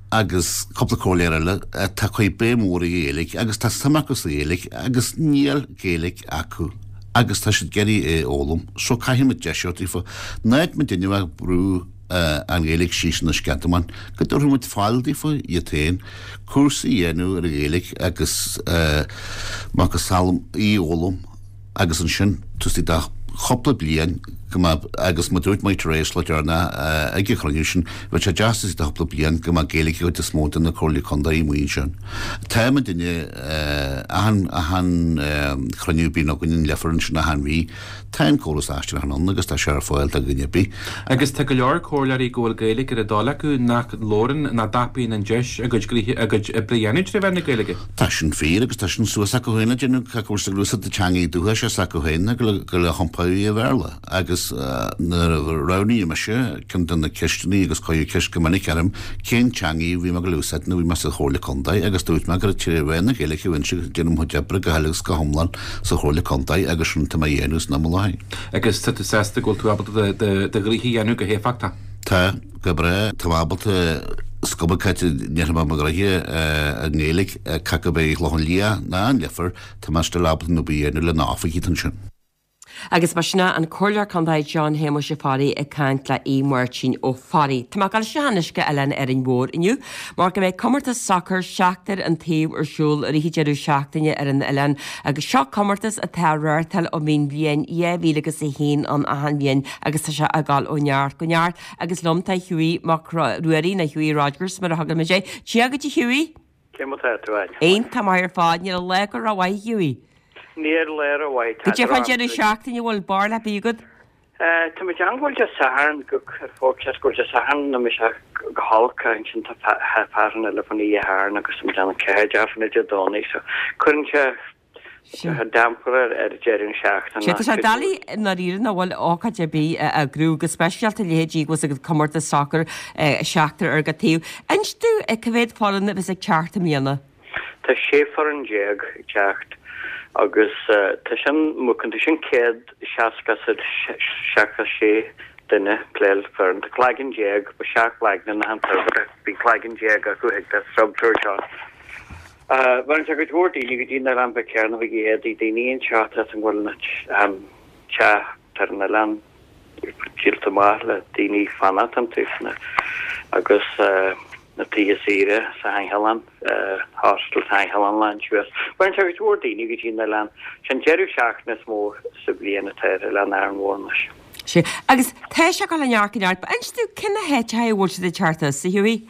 agus cúpla comhairleoir eile atá ag cur béim mhór ar Ghaeilge agus tá suim acu sa Ghaeilge agus níl Gaeilge acu agus tá siad ag iarraidh é a fhoghlaim so caithfidh muid deis a thabhairt daofa. Ná muid ag brú an Ghaeilge síos ina sceadamáin, go dtabharfaidh muid fáil daofa iad féin cúrsa a dhéanamh ar an Ghaeilge agus macasamhail í a fhoghlaim. agus ansin taobh istigh de chúpla bliain go mbeadh, agus mar a dúirt mé tar éis le deireanach ag an chruinniú sin, bheadh sé deas taobh istigh de chúpla bliain go mbeadh Gaeilge ag an gcuid is mó de na Comhairlí Contae amuigh ansin. Tá muidinne, achan, achan chruinniú a bhíonn againn in Leifear ansin achan mhí, tá an córas aistriúcháin ann agus tá sé ar fáil do dhuine ar bith. Agus tá go leor comhairleoirí go bhfuil Gaeilge ar a dtoil acu nach labhrann, nach dtapaíonn an deis a gcuid gnoithe, a gcuid oibre a dhéanamh tré mheán na Gaeilge. Tá sin fíor agus tá sin suas acu féin le déanamh cé acu sa gcnuasach de teangaí dúchais is acu féin go le hiompar i Bhéarla agus nuair a roghnaíodh mise ceann de na ceisteanna agus cuireadh ceist go minic orm cén teangaí a bhí mé ag dul a úsáid nuair a bhí mé sa Chomhairle Contae agus dúirt mé gur tré mheán na Gaeilge a bheinnse ag déanamh mo chuid oibre go huile agus go hiomlán sa Chomhairle Contae agus sin atá mé a dhéanamh san am i láthair. Agus tá tú sásta go bhfuil tú ábalta do ghnoithe a dhéanamh go héifeachtach? Tá. Go breá. Tá mé ábalta scuabadh caite ndéanfaidh mé mo ghnoithe i nGaeilge cé acu é an Clochán Liath ná an Leifear, tá mé still ábalta an obair a dhéanamh le na oifigigh atá ansin. Agus ba sin é an Comhairleoir Contae John Shéamuis Ó Fearraigh ag caint le Aodh Máirtín Ó Fearraigh. Tá mé ag dul isteach anois go Oileán Árainn Mhór inniu mar go mbeidh comórtas sacair seachtar an taobh ar siúl i rith an deireadh seachtaine ar an oileán agus seo comórtas atá á reáchtáil ó bhí an bhliain 2001 ann achan bhliain agus tá sé ag dul ó neart go neart. Agus liom tá Hughie Mac Ruairí, nó Hughie Rodgers mar a thugann muid air. Dia dhuit a Hughie! Cé mar tá tú, Áine? Iontach maith ar fad, níl lá go rómhaith Hughie. Níl lá rómhaith, tá Goidé fán deireadh seachtaine, bhfuil barúil ar bith agat? Tá muid ann go bhfuil Dé Sathairn, go forecast go bhfuil Dé Sathairn ná mise go holc, ansin tá fearann eile fan oíche Shathairn agus tá muid ann 4 dearfa Dé Domhnaigh, so cuireann sé Tá damper ar deireadh na seachtaine. Sea, tá sé doiligh i ndáiríre nach bhfuil ócáid ar bith a eagrú, go speisialta leithéidí go bhfuil comórtas sacair seachtar ar gach taobh. Inis domh cá mhéad foireann a bheas ag teacht i mbliana? Tá 16 foireann ag teacht agus tá sin mucan, tá sin 166 duine ag pléáil foireann. Tá cloigeann déag, ba 17 cloigne in achan foireann, bíonn cloigeann déag acu ag an struchtúr seo. Bhaineann sé cuid mhór daoine go dtí an oileán bheith céarna bheidh éadaí daoine anseo tá san bhfuil an teach ar an oileán díolta amach le daoine fanacht iontu agus na tithe saoire sa sheanchoileán, hostel sa sheanchoileán lán suas. Bhaineann sé cuid mhór daoine go dtí an oileán. Sé an deireadh seachtaine is mó sa bhliain atá ar Oileán Árainn Mhór anois. Sea. Agus tá sé ag dul ó neart go neart. Inis domh cé na háiteacha a bhfuil siad ag teacht as, a Hughie?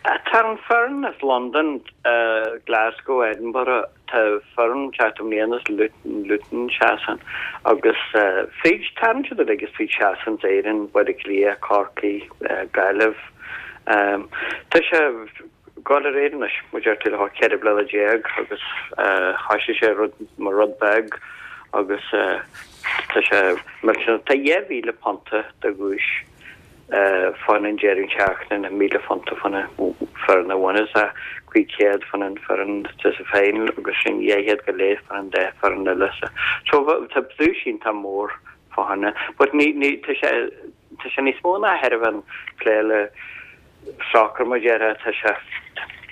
Tá an foireann as Londain, Glasgow, Edinburgh, tá foireann ag teacht i mbliana as Luton, Luton Shasana agus fríd, tagann siad uilig as fríd Shasana, Éirinn, Baile Átha Cliath, Corcaigh, Gaillimh. Tá sé ag dul ar aghaidh anois, mar a deir tú, le 14 bliana agus thoisigh sé rud mar rud beag agus tá sé millteanach. Tá £2,000 de dhuais fán an deireadh seachtaine, £1,000 fán foireann a bhaineas 500 fán an foireann sa final agus sin 200 go leith fán an dá foireann eile. So tá duais iontach mór fá choinne. But ní, ní, tá sé, tá sé níos mó ná chóir a bheith plé le soccer mar déarfá, tá sé,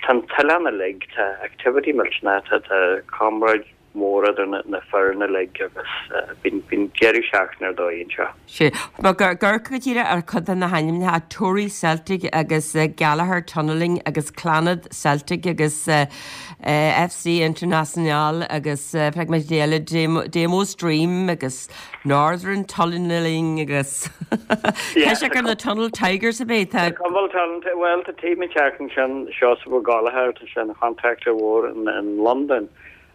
tá an t-oileán uilig, tá activity millteanach, tá, tá comráid mór idir na, na foireann uilig agus bíonn, bíonn deireadh seachtaine ar dóigh anseo. Sea. Bhuel, ag amharc go díreach ar chuid de na hainmneacha, Tory Celtic agus Gallagher Tunnelling agus Clannad Celtic agus FC Internacional agus feicfidh muid eile, Damo's Dream agus Northern Tunnelling agus tá sé gur na Tunnel Tigers a bheidh tá. Tá Tunnel, bhuel tá team ag teacht ansin, Seosamh Ó Gallchóir, tá sé ina chontractor mhór in Londain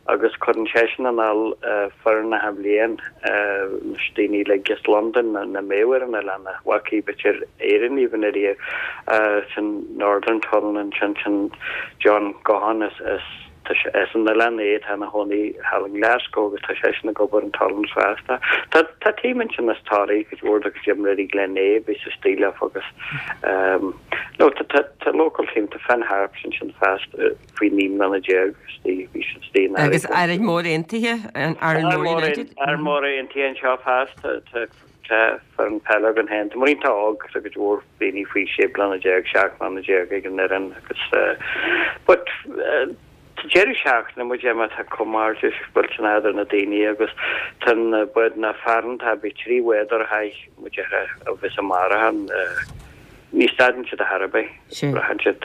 agus cuireann seisean anall foireann achan bhliain anois daoine uilig as Londain nach mbeadh ar an oileán nach bhfacaí b'fhéidir Éirinn even ariamh sin Northern Tunnel ansin sin John Gaughan as as Tá sé as an oileán é, tá ina chónaí thall i nGlasgow agus tá seisean ag obair in Tullins fosta. Tá tá team ansin as Toraigh, cuid mhór de chuid imreoirí Glenea a bhí sa stíl agus ehm no tá tá tá local team, tá Finn Harps ansin fosta faoi 19 mbliana istigh, bhí siad istigh in Agus Árainn Mhór Aontaithe, Árainn Mhór United. Árainn Mhór Aontaithe anseo fosta, tá tá foireann peile againn féin. Tá muid iontach óg, tá cuid mhór daoine faoi 16 bliana, 17 mbliana ag an fhoireann agus but tá deireadh seachtaine muid má tá comhghairdeas millteanach idir na daoine agus tá na bád na fearann tá bhí 3 bhád ar aghaidh muid ar a bheas amárach an Ní stadann siad ar chor ar bith. Braitheann siad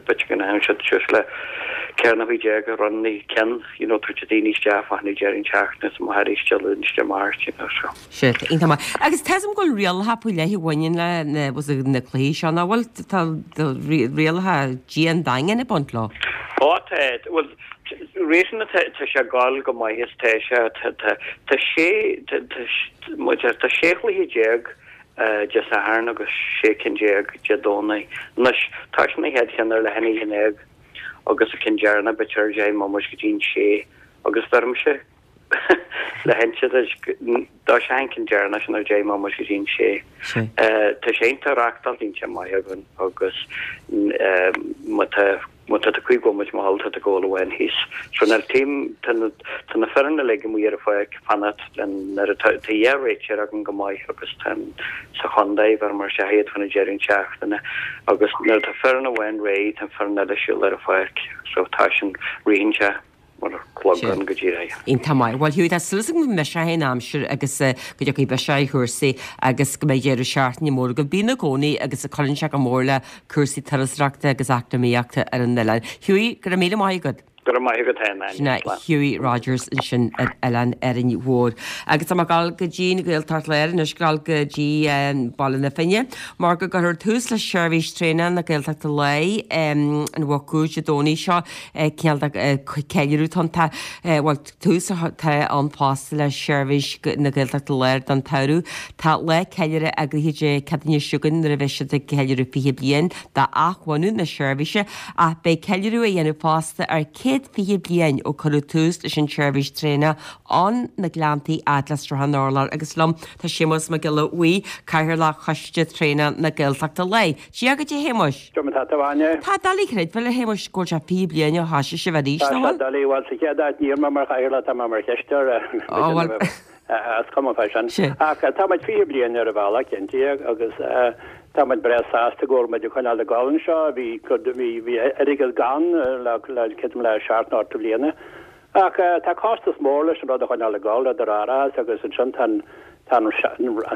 b'fhéidir go ndéanann siad suas le 14 na ronnaí ceann, you know, tabhairt daoine isteach fá choinne deireadh seachtaine is amach arís Dé Luain is Dé Máirt, you know, so. Sea, iontach maith. Agus tá 'fhios a'm go bhfuil rialacha faoi leith a bhaineann le na, was it, na cluichí seo, nach bhfuil? Tá rialacha dian daingean ag baint leo. Ó tá, bhuel, réasúnta tá, tá sé ag gabháil go maith is tá sé, tá, tá, tá sé, tá, tá, tá 16 chluiche Dé Sathairn agus 16 cinn Dé Domhnaigh. Anois, tá sin an chéad cheann ar leath i ndiaidh a haon agus an ceann deireanach b'fhéidir ar 10 mbomaite go dtí'n sé agus bheirimse le hinse duit dá sé an ceann deireanach sin ar 10 mbomaite go dtí'n sé. Tá sé iontach reachtáilte iontach maith againn agus má tá Má tá tú 5 bhomaite mall tá tú ag gabháil amháin thíos. So níl team, tá na, tá na foireann uilig amuigh ar an pháirc ag fanacht len, nuair atá, tá dhá réiteoir againn go maith agus tá an, sa chontae, bheireamar isteach iad fán deireadh seachtaine agus nuair atá foireann amháin réidh tá an foireann eile ag siúl ar an pháirc. So tá sin, ritheann sé mar clogán go díreach. Iontach maith. Bhuel Hughie, tá súil agam go mbiseoidh an aimsir agus go dtiocfaidh biseach ar chúrsaí agus go mbeidh deireadh seachtaine mór agaibh. Bíonn i gcónaí agus cuireann sé go mór le cúrsaí turasóireachta agus eacnamaíochta ar an oileán. Hughie, go raibh míle maith agat. Go raibh maith agat féin, Áine. Sin é Hughie Rogers ansin ar Oileán Árainn Mhór. Agus tá mé ag dul go dtí an Ghaeltacht Láir anois, ag dul go dtí Baile na Finne mar go gcuirfear tús le seirbhís traenach na Gaeltachta Láir an Mhuc Úr Dé Domhnaigh seo. Cineál de ceiliúradh atá ann. Bhuel, tús atá ann fosta le seirbhís na Gaeltachta Láir don tsamhradh. Tá lá ceiliúrtha eagraithe Dé Céadaoine seo chugainn nuair a bheidh siad ag ceiliúradh 20 bliain d'athbhunú na seirbhíse ach beidh ceiliúradh á dhéanamh fosta ar 120 bliain ó cuireadh tús leis an tseirbhís traenach ó na Gleanntaí fhad le Sruthán Urláir agus liom tá Séamus Mac Giolla Bhuí, Cathaoirleach Choiste Traenach na Gaeltachta Láir. Dia dhuit a Shéamuis. Cad é mar tá tú, a Áine. Tá doiligh a chreidbheáil a Shéamuis go bhfuil sé 20 bliain ó thoisigh sibh arís, Tá sé doiligh, bhuel sa chéad áit níl mé mar chathaoirleach, tá mé mar chisteoir, Ó bhuel. is cuma fá sin. Ach tá muid 20 bliain ar an bhealach, cinnte, agus tá muid breá sásta go bhfuil muid ag coinneáil ag gabháil anseo. Bhí, bhí, bhí airgead gann le, le, creidim le seacht nó ocht mbliana. Ach tá costas mór leis an rud a choinneáil ag dul, idir árachas agus ansin tá an, tá an,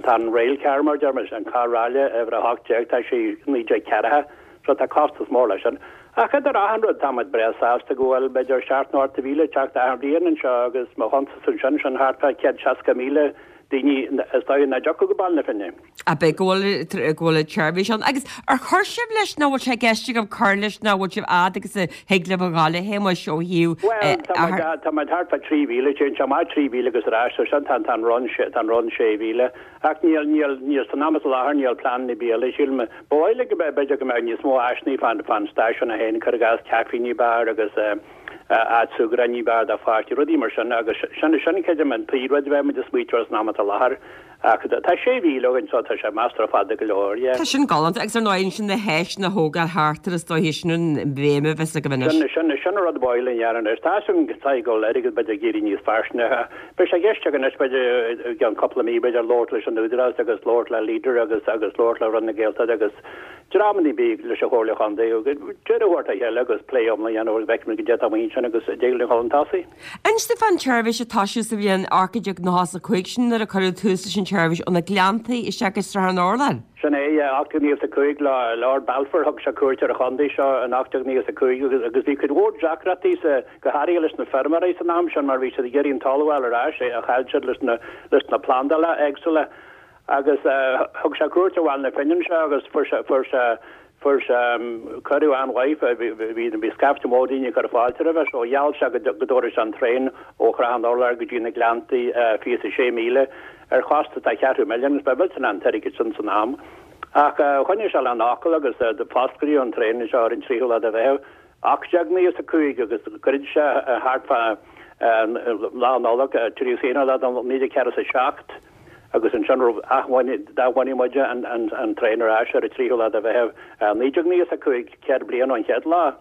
tá an rail car mar a deir muid, an carr ráille uimhir 18, tá sé 19 ceartha, so tá costas mór leis sin. Ach idir achan rud, tá muid breá sásta go bhfuil b'fhéidir 7 nó 8,000 ag teacht achan bhliain anseo agus mo chuntas ansin, sin thart fá 160,000. daoine is dóigh nach dtiocfadh go Baile na Finne. Ab é go bhfuil go bhfuil an tseirbhís ann. Agus ar chuir sibh leis nó bhfuil sé i gceist agaibh cur leis nó bhfuil sibh fhad agus a thig libh a ghabháil a Shéamuis ó thaobh Bhuel, tá muid tá muid thart fá 3,000, téann sé amach 3,000 agus ar ais, so sin tá tá an run tá an run 6,000. Ach níl níl níl san am is i láthair níl plean ar bith eile sílim. Ba mhaith linn go mbeadh b'fhéidir go mbeadh níos mó áiseanna fán fán stáisiún é féin, cuir i gcás caife ní b'fhearr agus eh áit súgartha ní b'fhearr do pháistí, rudaí mar sin agus sin sin creidim an príomhrud a bheidh muid ag smaoitiú air san am atá i láthair. Ach tá 6,000 againn so tá sé measartha fada go leor, yeah. Tá sin galánta agus ar ndóigh ansin na háiseanna a thógáil thart air is dóiche sin an bhéim a bheas agaibh anois. Sin, sin, sin an rud ba mhaith linn a dhéanamh anois. Tá fhios agam go tá go bhfuil airgead b'fhéidir ag éirí níos fairsinge. Beidh sé i gceist againn anois b'fhéidir i gceann cúpla mí b'fhéidir labhairt leis an Údarás agus labhairt le Leader agus agus labhairt le Roinn na Gaeltachta agus dreamanna ar bith leis an Chomhairle Chontae agus deireadh a thabhairt le chéile agus plé iomlán a dhéanamh agus feicfimid goidé atá amuigh ansin agus dtig linn a dhul chun tosaigh. Inis domh fán tseirbhís a toisíodh sa bhliain 1895, sin nuair a cuireadh tús leis an tseirbhís ó na Gleanntaí isteach go Srath an Urláir. Sin é, 1895, le Lord Balfour, thug sé cuairt ar an chontae seo in 1895 agus agus bhí cuid mhór deacrachtaí sa, go háirithe leis na feirmeoirí san am sin mar bhí siad ag iarraidh an talamh a fháil ar ais a chaill siad leis na, leis na plandálacha éagsúla. Agus thug sé cuairt ar Bhaile na Finne anseo agus fuair sé, fuair sé, fuair sé cuireadh an-mhaith, bhí, bhí scaifte mór daoine ag cur fáilte roimhe so gheall sé go dtabharfadh sé an traein ó Shrath an Urláir go dtí na Gleanntaí, 26 míle, ar chostas de cheathrú milliún agus ba mhillteanach an t-airgead sin san am. Ach choinnigh sé lena fhocal agus fosclaíodh an traein anseo ar an tríú lá de Mheitheamh 1895 agus dhruid sé thart fá Lá Nollag, 31 lá de 1947 agus ansin d'athbhunaigh muid an traein ar ais ar an tríú lá de Mheitheamh 1995, 100 bliain ón chéad lá.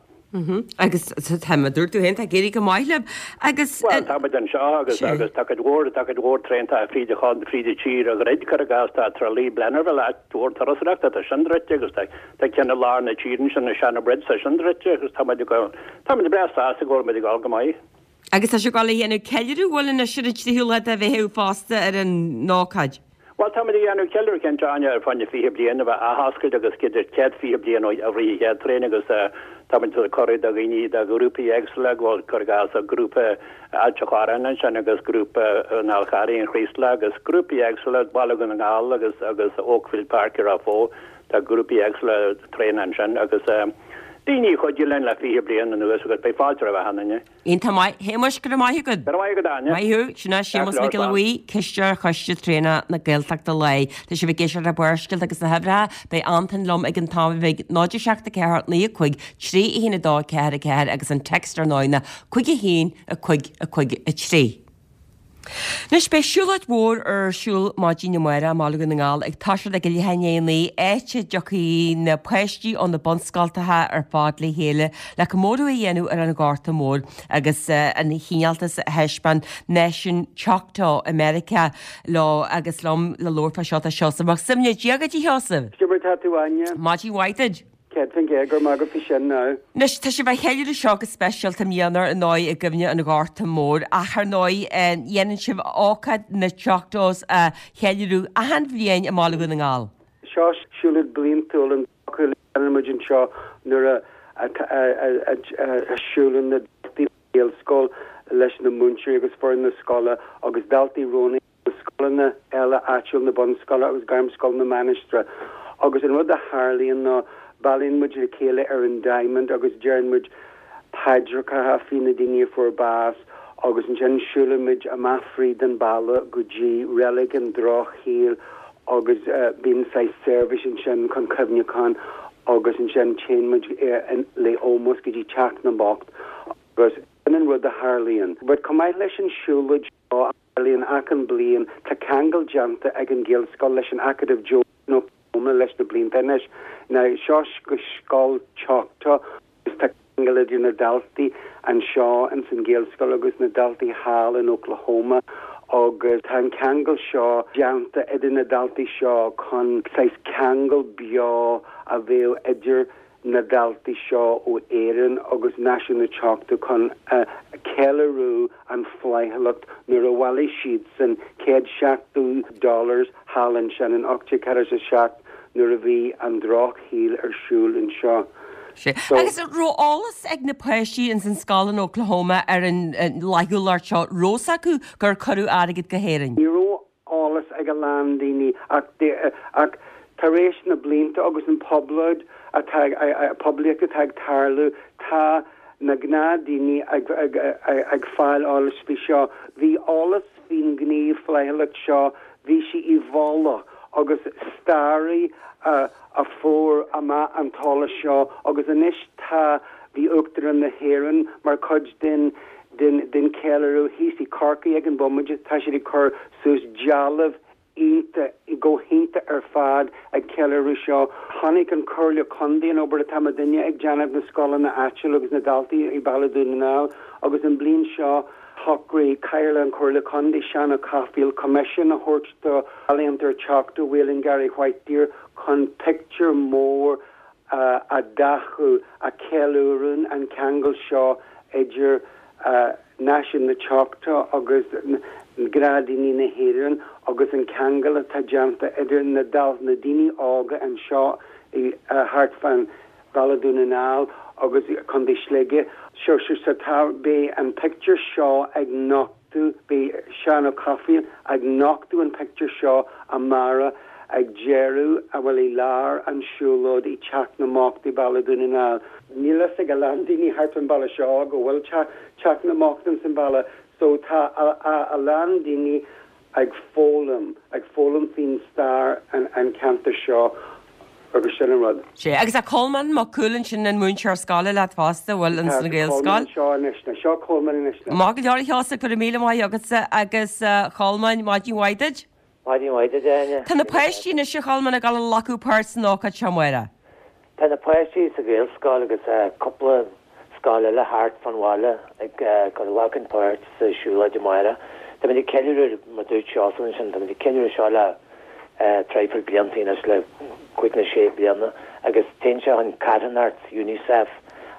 Agus tá, mar a dúirt tú féin, tá ag éirí go maith libh agus. Bhuel, tá muid anseo agus agus tá cuid mhór, tá cuid mhór traenata fríd an fríd an tír a dhruid, cuir i gcás, tá Tralee Blennerville, áit mhór turasóireachta, tá sin druidte agus tá tá ceann i lár na tíre ansin, na Shannonbridge, tá sin druidte agus tá muid ag dul, tá muid breá sásta go bhfuil muid ag dul go maith. Agus tá sibh ag dul a dhéanamh ceiliúradh, bhfuil anois ar an tríú lá de Mheitheamh fosta ar an ócáid? Bhuel, táimid ag déanamh ceiliúradh cinnte, Áine, ar fá choinne 20 bliain a bheith athoscailte agus 120 bliain ó rith an chéad traein agus táimid ag cuireadh do dhaoine, do ghrúpaí éagsúla, go bhfuil, cuir i gcás, grúpa Ailt an Chorráin ansin agus grúpa an Fháil Charraigh, an Chraoslaigh agus grúpaí éagsúla, Baile Dhún na nGall agus agus Oakfield Park i Ráth Bhoth, tá grúpaí éagsúla traenach ansin agus daoine a chuidigh linn le 20 bliain anuas agus beidh fáilte roimh achan duine. Iontach maith. Shéamuis, go raibh maith agat. Go raibh maith agat, Áine. Maith thú. Sin é Séamus Mac Giolla Bhuí, Cisteoir Choiste Traenach na Gaeltachta Láir. Tá sibh ag éisteacht le Barrscéalta agus na hUimhreacha. Beidh Antain liom ag an t-am bheag 0 7 4 9 5 3 1 2 4 4 agus an text ar ndóigh ná 5 1 5 5 3. Anois beidh siúlóid mhór ar siúl maidin amárach i mBaile Dhún na nGall ag toiseacht ag a leath i ndiaidh a naoi, áit a dtiocfaidh na páistí ó na bunscoltacha ar fad le chéile le comóradh a dhéanamh ar an Ghorta Mór agus an chineáltas a thaispeáin náisiún Choctaw i Meiriceá leo agus liom le labhairt fá seo tá Seosamh Mac Suibhne. Dia dhuit a Sheosaimh! Cad é mar atá tú Áine? Maidin mhaith duit! 100% go raibh maith agat faoi sin now. Anois, tá sibh á cheiliúradh seo go speisialta i mbliana ar ndóigh i gcuimhne an Ghorta Mhóir ach ar ndóigh dhéanann sibh ócáid na Choctaws a cheiliúradh achan bhliain i mBaile Dhún na nGall. Seo siúlóid bliantúil an dóchúil a dhéanann muid anseo nuair a a siúlann na daltaí ón Ghaelscoil leis na múinteoirí agus foireann na scoile agus daltaí roghnaithe na scoileanna eile áitiúil, na bunscoile agus Gairmscoil na Mainistreach. Agus an rud a tharlaíonn ná bailíonn muid le chéile ar an Diamond agus deireann muid paidreacha faoi na daoine a fuair bás agus ansin siúlann muid amach fríd an baile go dtí Reilig an Drochshaoil agus bíonn saghas seirbhís ansin chun cuimhneachán agus ansin téann muid le ómós go dtí Teach na mBocht agus sin an rud a tharlaíonn. But chomh maith leis an siúlóid seo, tarlaíonn achan bliain. Tá ceangal déanta ag an Ghaelscoil leis an Acadamh Joe in Oklahoma leis na blianta anois. Now, seo scoil Choctaw agus tá ceangal idir na daltaí anseo ins an Ghaelscoil agus na daltaí thall in Oklahoma agus tá an ceangal seo déanta idir na daltaí seo chun saghas ceangal beo a bheadh idir na daltaí seo ó Éirinn agus Náisiún na Choctaw chun ceiliúradh an flaithiúlacht nuair a bhailigh siadsan 170 dollars thall ansin in 1847 nuair a bhí an drochshaol ar siúl anseo. Sea. So. Agus an raibh eolas ag na páistí ins an scoil in Oklahoma ar an fhlaithiúlacht seo? Raibh 's acu gur cuireadh airgead go hÉirinn? Ní raibh eolas. ag a lán daoine ach ach tar éis na blianta agus an poblóid atá poiblíocht atá ag tarlú tá na gnáthdaoine ag ag ag fáil eolais faoi seo. Bhí eolas faoin ghníomh flaithiúlacht seo, bhí sí i bhfolach agus staraí a a fuair amach an t-eolas seo agus anois tá bhí Uachtarán na hÉireann mar chuid den den den cheiliúradh thíos i Corcaigh ag an bhomaite, tá siad ag cur suas dealbh iontach, go hiontach ar fad ag ceiliúradh seo. Chonaic an Comhairle Contae an obair atá muidinne ag déanamh na scoileanna áitiúla agus na daltaí i Baile Dhún na nGall agus an bliain seo shocraigh Cathaoirleach an Chomhairle Contae, Seán Ó Cathmhaoil, coimisiún a thabhairt do ealaíontóir Choctaw Waylon Gary Whitedeer chun pictiúr mór a dhathú a cheiliúrann an ceangal seo idir náisiún na Choctaw agus gnáthdaoine na hÉireann agus an ceangal atá déanta idir na na daoine óga anseo thart fán Bhaile Dhún na nGall agus Contae Shligigh. So so tá beidh an pictiúr seo ag nochtadh beidh Seán Ó Cathmhaoil ag nochtadh an pictiúr seo amárach ag deireadh bhuel i lár an siúlóid i Teach na mBocht i Baile Dhún na nGall. Níl fhios ag a lán daoine thart fán baile seo go bhfuil Teach na mBocht ins an baile so tá a lán daoine ag foghlaim, ag foghlaim faoin stair an ceantar seo agus sin an rud. Sea, agus tá Colmán Mac Cumhaill ansin an múinteoir scoile leat fosta, bhfuil, ins an Ghaelscoil? Tá Colmán anseo anois, ná seo Colmán anois. Maith go leor a Sheosaimh, go raibh míle maith agatsa agus a Cholmáin, maidin mhaith duit. Maidin mhaith duit, a Áine. Tá na páistí anois, a Cholmáin, ag dul a ghlacadh páirt san ócáid seo amárach. Tá na páistí sa Ghaelscoil agus cúpla scoil eile thart fán bhaile ag glacadh páirt sa siúlóid amárach. Táimid ag ceiliúradh, mar dúirt Seosamh ansin, táimid ag ceiliúradh seo le traidhfil blianta anois, le cúig nó sé bliana agus téann sé chun carthanacht Unicef.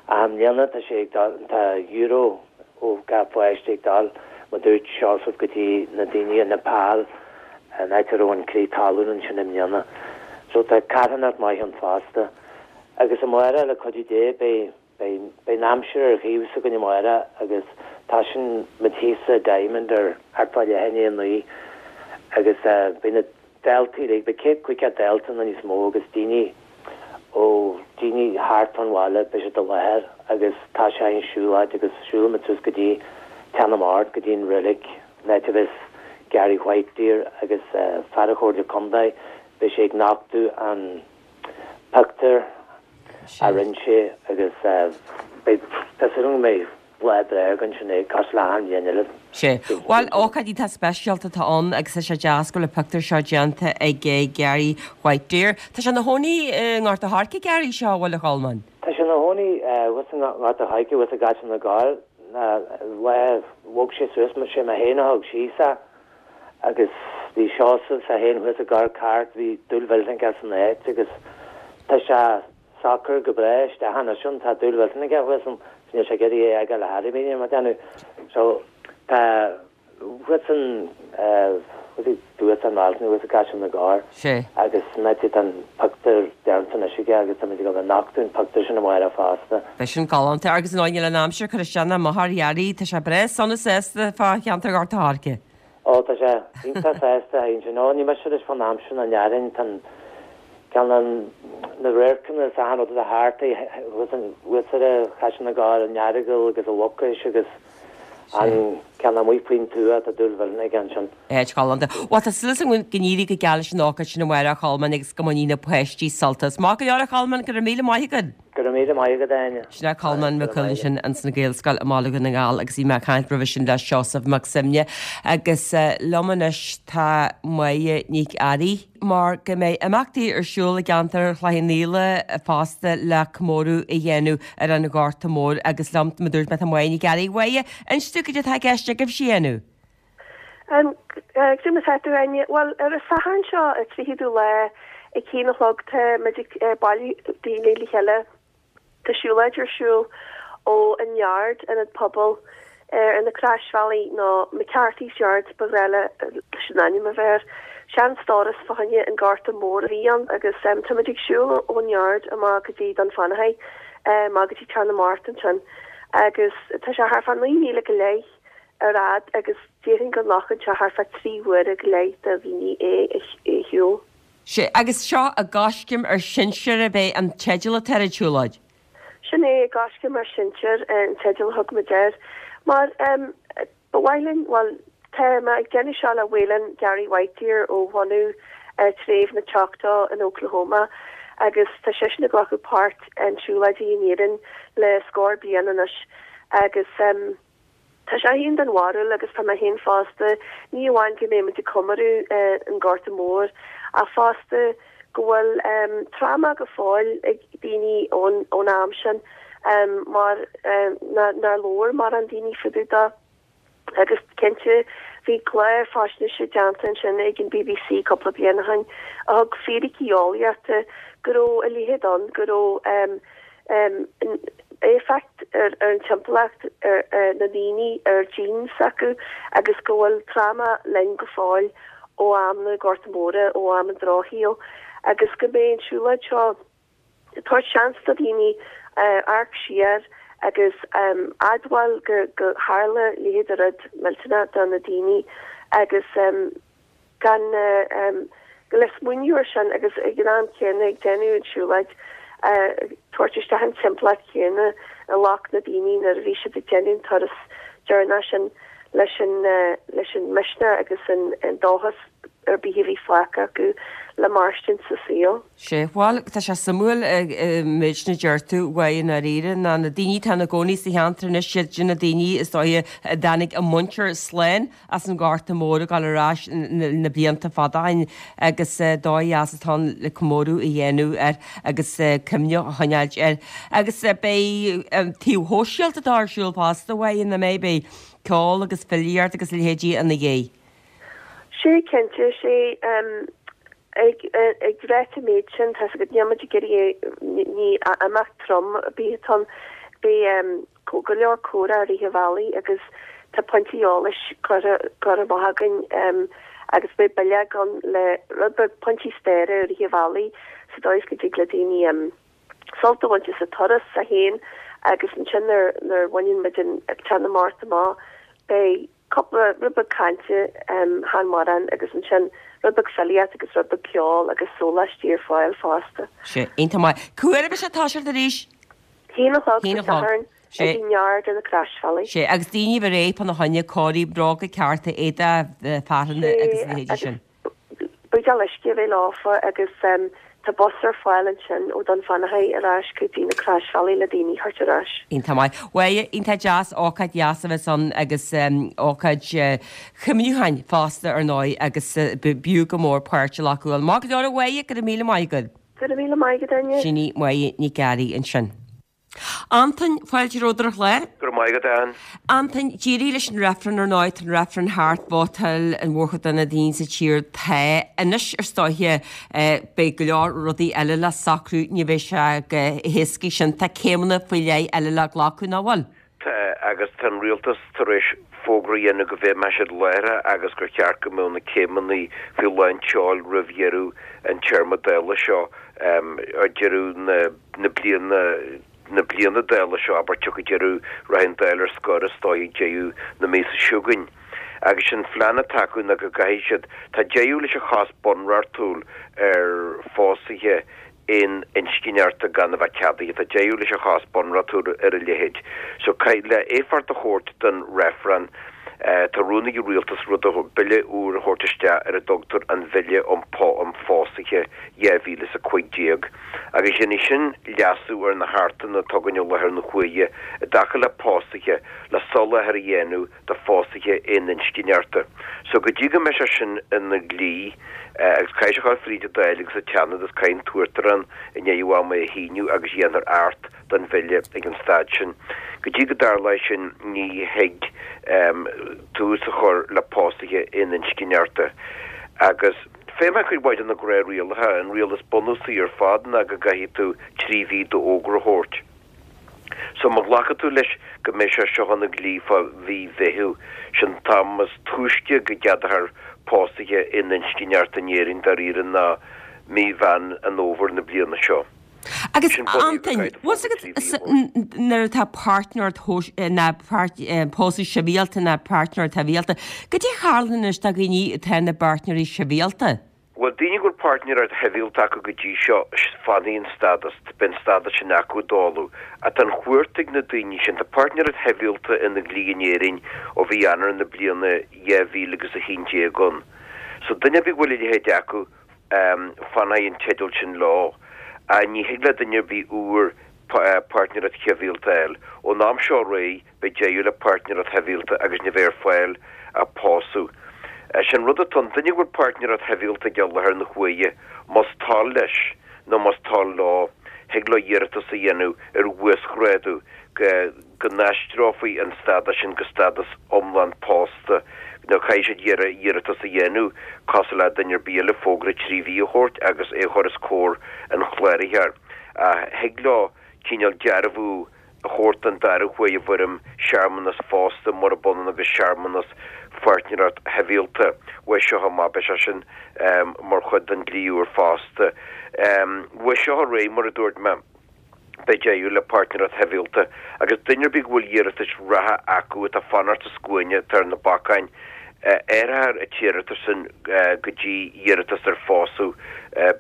I mbliana tá sé ag dul, tá euro ó gach páiste ag dul, mar dúirt Seosamh, go dtí na daoine i Nepal, an áit a raibh an crith talún ansin i mbliana. So tá carthanacht maith ann fosta. Agus amárach, le cuidiú Dé, beidh, beidh, beidh an aimsir ar thaobh s'againn amárach agus tosaíonn muid thíos sa Diamond ar thart fá leath i ndiaidh a 9 agus beidh na daltaí uilig, beidh 150 dalta nó níos mó agus daoine ó daoine thart fán bhaile, beidh siad i láthair agus toiseoidh an siúlóid agus siúlfaidh muid suas go dtí Teach na mBocht, go dtí an reilig, an áit a bheas Gary Whitedeer agus fear an Chomhairle Contae, beidh sé ag nochtadh an pictiúr a rinne sé agus beidh, tá súil agam go mbeidh lá breá againn sin é, cosúil le achan bhliain eile. Sea. Bhuel, ócáid iontach speisialta atá ann agus tá sé deas go bhfuil an pictiúr seo déanta ag Gary Whitedeer. Tá sé ina chónaí i nGort a' Choirce, Gary, seo, an bhfuil, a Cholmáin? Tá sé ina chónaí thuas i nGort a' Choirce, thuas i gCaiseal na gCorr. Lá a bhog sé suas, sé mé féin a thug síos é agus bhí Seosamh is é féin thuas i gCorr Cairt, bhí dúil mhillteanach aige san áit agus tá sé socair go breá isteach anois ann, tá dúil mhillteanach aige thuas ann, níl sé ag iarraidh é a fhágáil ar chor ar bith, níl mé ag déanamh. So tá thuas an thuas an Mhealtain, thuas i gCaiseal na gCorr agus san áit atá an pictiúr déanta anois aige agus táimid ag dul a nochtadh an pictiúr sin amárach fosta. Beidh sin galánta agus ar ndóigh níl an aimsir ag cur isteach ná amach ar Ghearaí, tá sé breá sona sásta fá cheantar Ghort a' Choirce. Ó tá sé iontach sásta a Áine. Ó ní mise leis fán aimsir ná ndearfainn, tá an ceann an na radharcanna is achan rud atá thart thuas ar Chaiseal na gCorr, an Earagail agus an Mhucais agus An ceann amuigh faoin tuath, tá dúil mhillteanach aige ansin. Áit ghalánta. Bhuel, tá súil agam go n-éirí go geal leis an ócáid sin amárach, a Cholmáin, agus go mbainfidh na páistí sult as. Maith go leor, a Cholmáin, go raibh míle maith agat. Go raibh míle maith agat, a Áine. Sin é Colmán Mac Cumhaill ansin ins an Ghaelscoil i mBaile Dhún na nGall agus bhí mé ag caint roimhe sin le Seosamh Mac Suibhne agus liom anois tá Máire Nic Fhearraigh. mar go mbeidh imeachtaí ar siúl i gceantar Chloich Cheann Fhaola fosta le comóradh a dhéanamh ar an Ghorta Mór agus liom, mar a dúirt mé, tá Máire Nic Fhearraigh. Máire, inis dúinn cad é atá i gceist agaibhse a dhéanamh. Cad é mar atá tú, a Áine? Bhuel, ar an Satharn seo, an 30ú lá, ag haon a chlog, tá muid ag bailiú daoine le chéile. Tá siúlóid ar siúl ó an Yard, ionad pobail ar na Croisbhealaí, nó McCarthy's Yard ba ghnáth leis an ainm a bheith air. Sean-stóras fá choinne an Gorta Mór a bhí ann agus táimid ag siúl ón Yard amach go dtí Dún Fionnachaidh, amach go dtí Teach na mBocht ansin agus tá sé thart fá 9 míle go leith. ar fhad agus déarfainn go nglacann sé thart fá 3 huaire go leith do dhaoine é a shiúl. Sea, agus seo i gCoiscéim ár Sinsear ab é an teideal atá ar an tsiúlóid? Sin é, i gCoiscéim ár Sinsear an teideal a thug muid air. Mar ba mhaith linn, bhuel, tá mé ag déanamh seo le Waylon Gary Whitedeer ó bhunadh treibh na Choctaw in Oklahoma agus tá seisean ag glacadh páirt in siúlóidí in Éirinn le scór bliain anois agus tá sé féin den bharúil agus tá mé féin fosta, ní amháin go mbeidh muid ag comóradh an Gorta Mór ach fosta go bhfuil tráma go fóill ag daoine ón am sin mar nár labhair mórán daoine fá dtaobh dó. Agus cinnte, bhí clár faisnéise déanta ansin ag an bbc cúpla bliain ó shin a thug fíricí eolaíochta go raibh a leithéid ann, go raibh éifeacht ar an timpeallacht, ar na daoine, ar genes s'acu agus go bhfuil tráma linn go fóill ó am na Gorta Móra, ó am an Drochshaoil agus go mbeidh an tsiúlóid seo ag tabhairt seans do dhaoine amharc siar agus admháil gur tharla a leithéid de rud millteanach do na daoine agus gan le smaoineamh air sin agus ag an am céanna ag déanamh an tsiúlóid tabhairt isteach an timpeallacht chéanna a ghlac na daoine nuair a bhí siad ag déanamh an turas deireanach sin leis an leis an misneach agus an dóchas ar bith a bhí fágtha acu le mairstint sa saol. Sea, bhuel, tá sé suimiúil an méid sin a deir tú, uaidh i ndáiríre, ná na daoine atá ina gcónaí sa cheantar anois, siad sin na daoine is dóiche a dtáinig a muintir slán as an Ghorta Mór ag dul ar ais na blianta fada ó shin agus dóigh dheas atá ann le comóradh a dhéanamh air agus cuimhne a choinneáilt air. Agus beidh an taobh shóisialta atá ar siúl fosta uaidh ina mbeidh, beidh ceol agus filíocht agus a leithéidí ina dhiaidh. Sea, cinnte, sea. Ag ráit an méid sin, tá's agat, níl muid ag iarraidh, ní imeacht trom ar bith atá ann. Beidh go leor comhrá i rith an bhealaigh agus tá pointí eolais curtha amach againn agus beidh bileog ann le rud beag pointí staire i rith an bhealaigh sa dóigh is go dtig le daoine sult a bhaint as an turas féin agus ansin nuair a bhaineann muid an Teach na Mart amach beidh cúpla rud beag cainte chan mórán agus ansin rud beag filíocht agus rud beag ceoil agus sóláistí ar fáil fosta. Sea, iontach maith. Cá huair a bheidh sé ag toiseacht arís? Haon a chlog Dé Sathairn ag an yard ar na Croisbhealaí. Sea, agus daoine a bheith réidh fána choinne, cóirithe, bróga cearta, éadach fearthainne agus a leithéidí sin. Buidéal uisce a bheith leofa agus tá bus ar fáil ansin ó Dún Fionnachaidh ar ais go dtí na Croisbhealaí le daoine a thabhairt ar ais. Iontach maith. Bhuel, iontach deas, ócáid dheas a bheas ann agus ócáid chuimhniúcháin fosta ar ndóigh agus b'fhiú go mór páirt a ghlacadh ann. Maith go leor a Mháire, go raibh míle maith agat. Go raibh míle maith agat Áine. Sin í Máire Nic Fhearraigh ansin. Antain, fáilte romhat ar an chlár. Go raibh maith agat, Ann. Antain, d'éirigh leis an reifreann ar ndóigh, tá an reifreann thart, vótáil an mhórchuid de na daoine sa tír tá. Anois ar ndóighe beidh go leor rudaí eile le socrú, ní bheidh sé chomh héasca sin, tá céimeanna faoi leith eile le glacadh, nach bhfuil? Tá, agus tá an rialtas tar éis fógra a dhéanamh go bhfeidhmeoidh siad láithreach agus gur cheart go mbeadh na céimeanna faoi lán tseoil roimh dheireadh an téarma Dála seo, deireadh na. na bliana na bliana Dála seo, abair, tiocfaidh deireadh, rachaidh an Dáil ar scor is dóigh ag deireadh na míosa seo chugainn. Agus sé'n phlean atá acu ná go gcaithfidh siad, tá deireadh leis an chás bunreachtúil ar phósaithe aon-inscneachta gan a bheith ceadaithe, tá deireadh leis an chás bunreachtúil ar a leithéid. So, caithfidh, le éifeacht a thabhairt don reifreann, tá rún ag an rialtas rud a, bille úr a thabhairt isteach ar a dtugtar an Bhille um Phósaithe 2015. Agus dhéanfaidh sin leasú ar na hAchtanna atá againn i láthair na huaire i dtaca le pósaithe, le soláthar a dhéanamh do phósaithe aoninscneachta. So go dtí go mbeidh sé sin ina dhlí, agus caithfidh sé a ghabháil fríd an Dáil agus an tSeanad agus caithfidh an tUachtarán i ndeireadh ama é a shíniú agus dhéanfar Acht den bhille ag an staid sin. Go dtí go dtarlóidh sin ní thig tús a chur le pósaithe aoninscneachta. Agus. Feidhmeann cuid mhaith de na gnáthrialacha. An riail is bunúsaí ar fad ná go gcaithfidh tú 3 mhí d'fhógra a thabhairt. So má ghlacann tú leis go mbeidh sé seo ina dhlí fá mhí Mheithimh, sin an t-am is túisce go gceadófar pósaithe aoninscneachta in Éirinn dáiríre ná mí Mheán an Fhómhair na bliana seo. Agus Antain, bhfuil 's agat nuair atá páirtnéireacht ná pósadh sibhialta ná páirtnéireacht shibhialta, goidé a tharlaíonn anois do dhaoine atá ina bpáirtnéirí sibhialta? Bhuel, daoine go bhfuil páirtnéireacht shibhialta acu go dtí seo, fanfaidh an stádas, beidh an stádas sin acu i dtólamh. Ach tá an chúirt ag na daoine sin, tá páirtnéireacht shibhialta ina dhlí in Éirinn ó mhí Eanáir na bliana 2011 ann. So duine ar bith go bhfuil a leithéid acu, fanfaidh an teideal sin leo. Ach ní thig le duine ar bith úr páirtnéireacht shibhialta a fháil. Ón am seo ar aghaidh, beidh deireadh le páirtnéireacht shibhialta agus ní bheidh ar fáil ach pósadh. Sé an rud atá ann, duine go bhfuil páirtnéireacht shibhialta aige i láthair na huaire, más toil leis nó más toil leo, thig leo iarratas a dhéanamh ar uasghrádú go go n-aistreofaí an stádas sin go stádas iomlán pósta nó caithfidh siad iarratas a dhéanamh cosúil le duine ar bith eile, fógra 3 mhí a thabhairt agus é a chur os comhair an chláraitheoir. Ach thig leo cineál dearbhú a thabhairt don dara huair i bhfoirm searmanas phósta murab ionann agus searmanas pháirtnéireacht shibhialta. Uaidh seo amach beidh sé sin mar chuid den dlí úr fosta. Uaidh seo ar aghaidh, mar a dúirt mé, beidh deireadh le páirtnéireacht shibhialta agus duine ar bith go bhfuil iarratais reatha acu atá ag fanacht sa scuaine, atá ar na bacáin, athrófar an t-iarratas sin go dtí iarratas ar phósadh,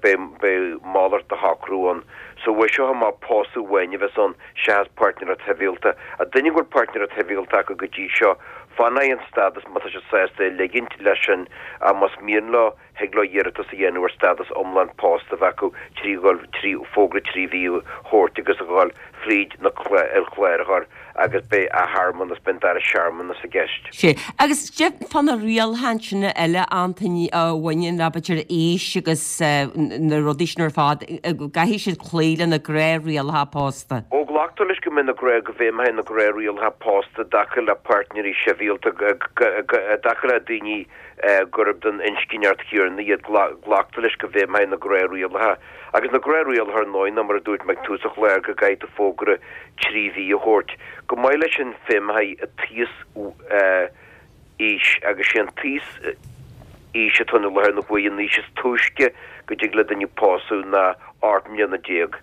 beidh malairt de shocrú ann. So uaidh seo amach pósadh amháin a bheas ann seachas páirtnéireacht shibhialta. Ach duine go bhfuil páirtnéireacht shibhialta acu go dtí seo, fanfaidh an stádas má tá siad sásta é a ligint leis sin ach más mian leo, thig leo iarratas a dhéanamh ar stádas iomlán pósta a bheith acu trí dhul trí fógra 3 mhí a thabhairt agus a dhul fríd na an chláraitheoir agus beidh athshearmanas, beidh an dara searmanas i gceist. Sea. Agus goidé fá na rialacha sin eile, Antaine, a bhaineann le b'fhéidir aois agus na rudaí sin ar fad, gcaithfidh siad cloí le na gnáthrialacha pósta? Ó, glactar leis go mbeidh na gnáth, go bhfeidhmeoidh na gnáthrialacha pósta i dtaca le páirtnéirí sibhialta, i dtaca le daoine gurb den inscneacht chéanna iad, glactar leis go bhfeidhmeoidh na gnáthrialacha. Agus na gnáthrialacha ar ndóigh ná mar a dúirt mé ag tús an chláir go gcaithfidh tú fógra 3 mhí a thabhairt. Chomh maith leis sin feidhmeoidh an t-íos aois agus sé an t-íos aois atá ann i láthair na huaire an aois is túisce go dtig le duine pósadh ná 18 mbliana.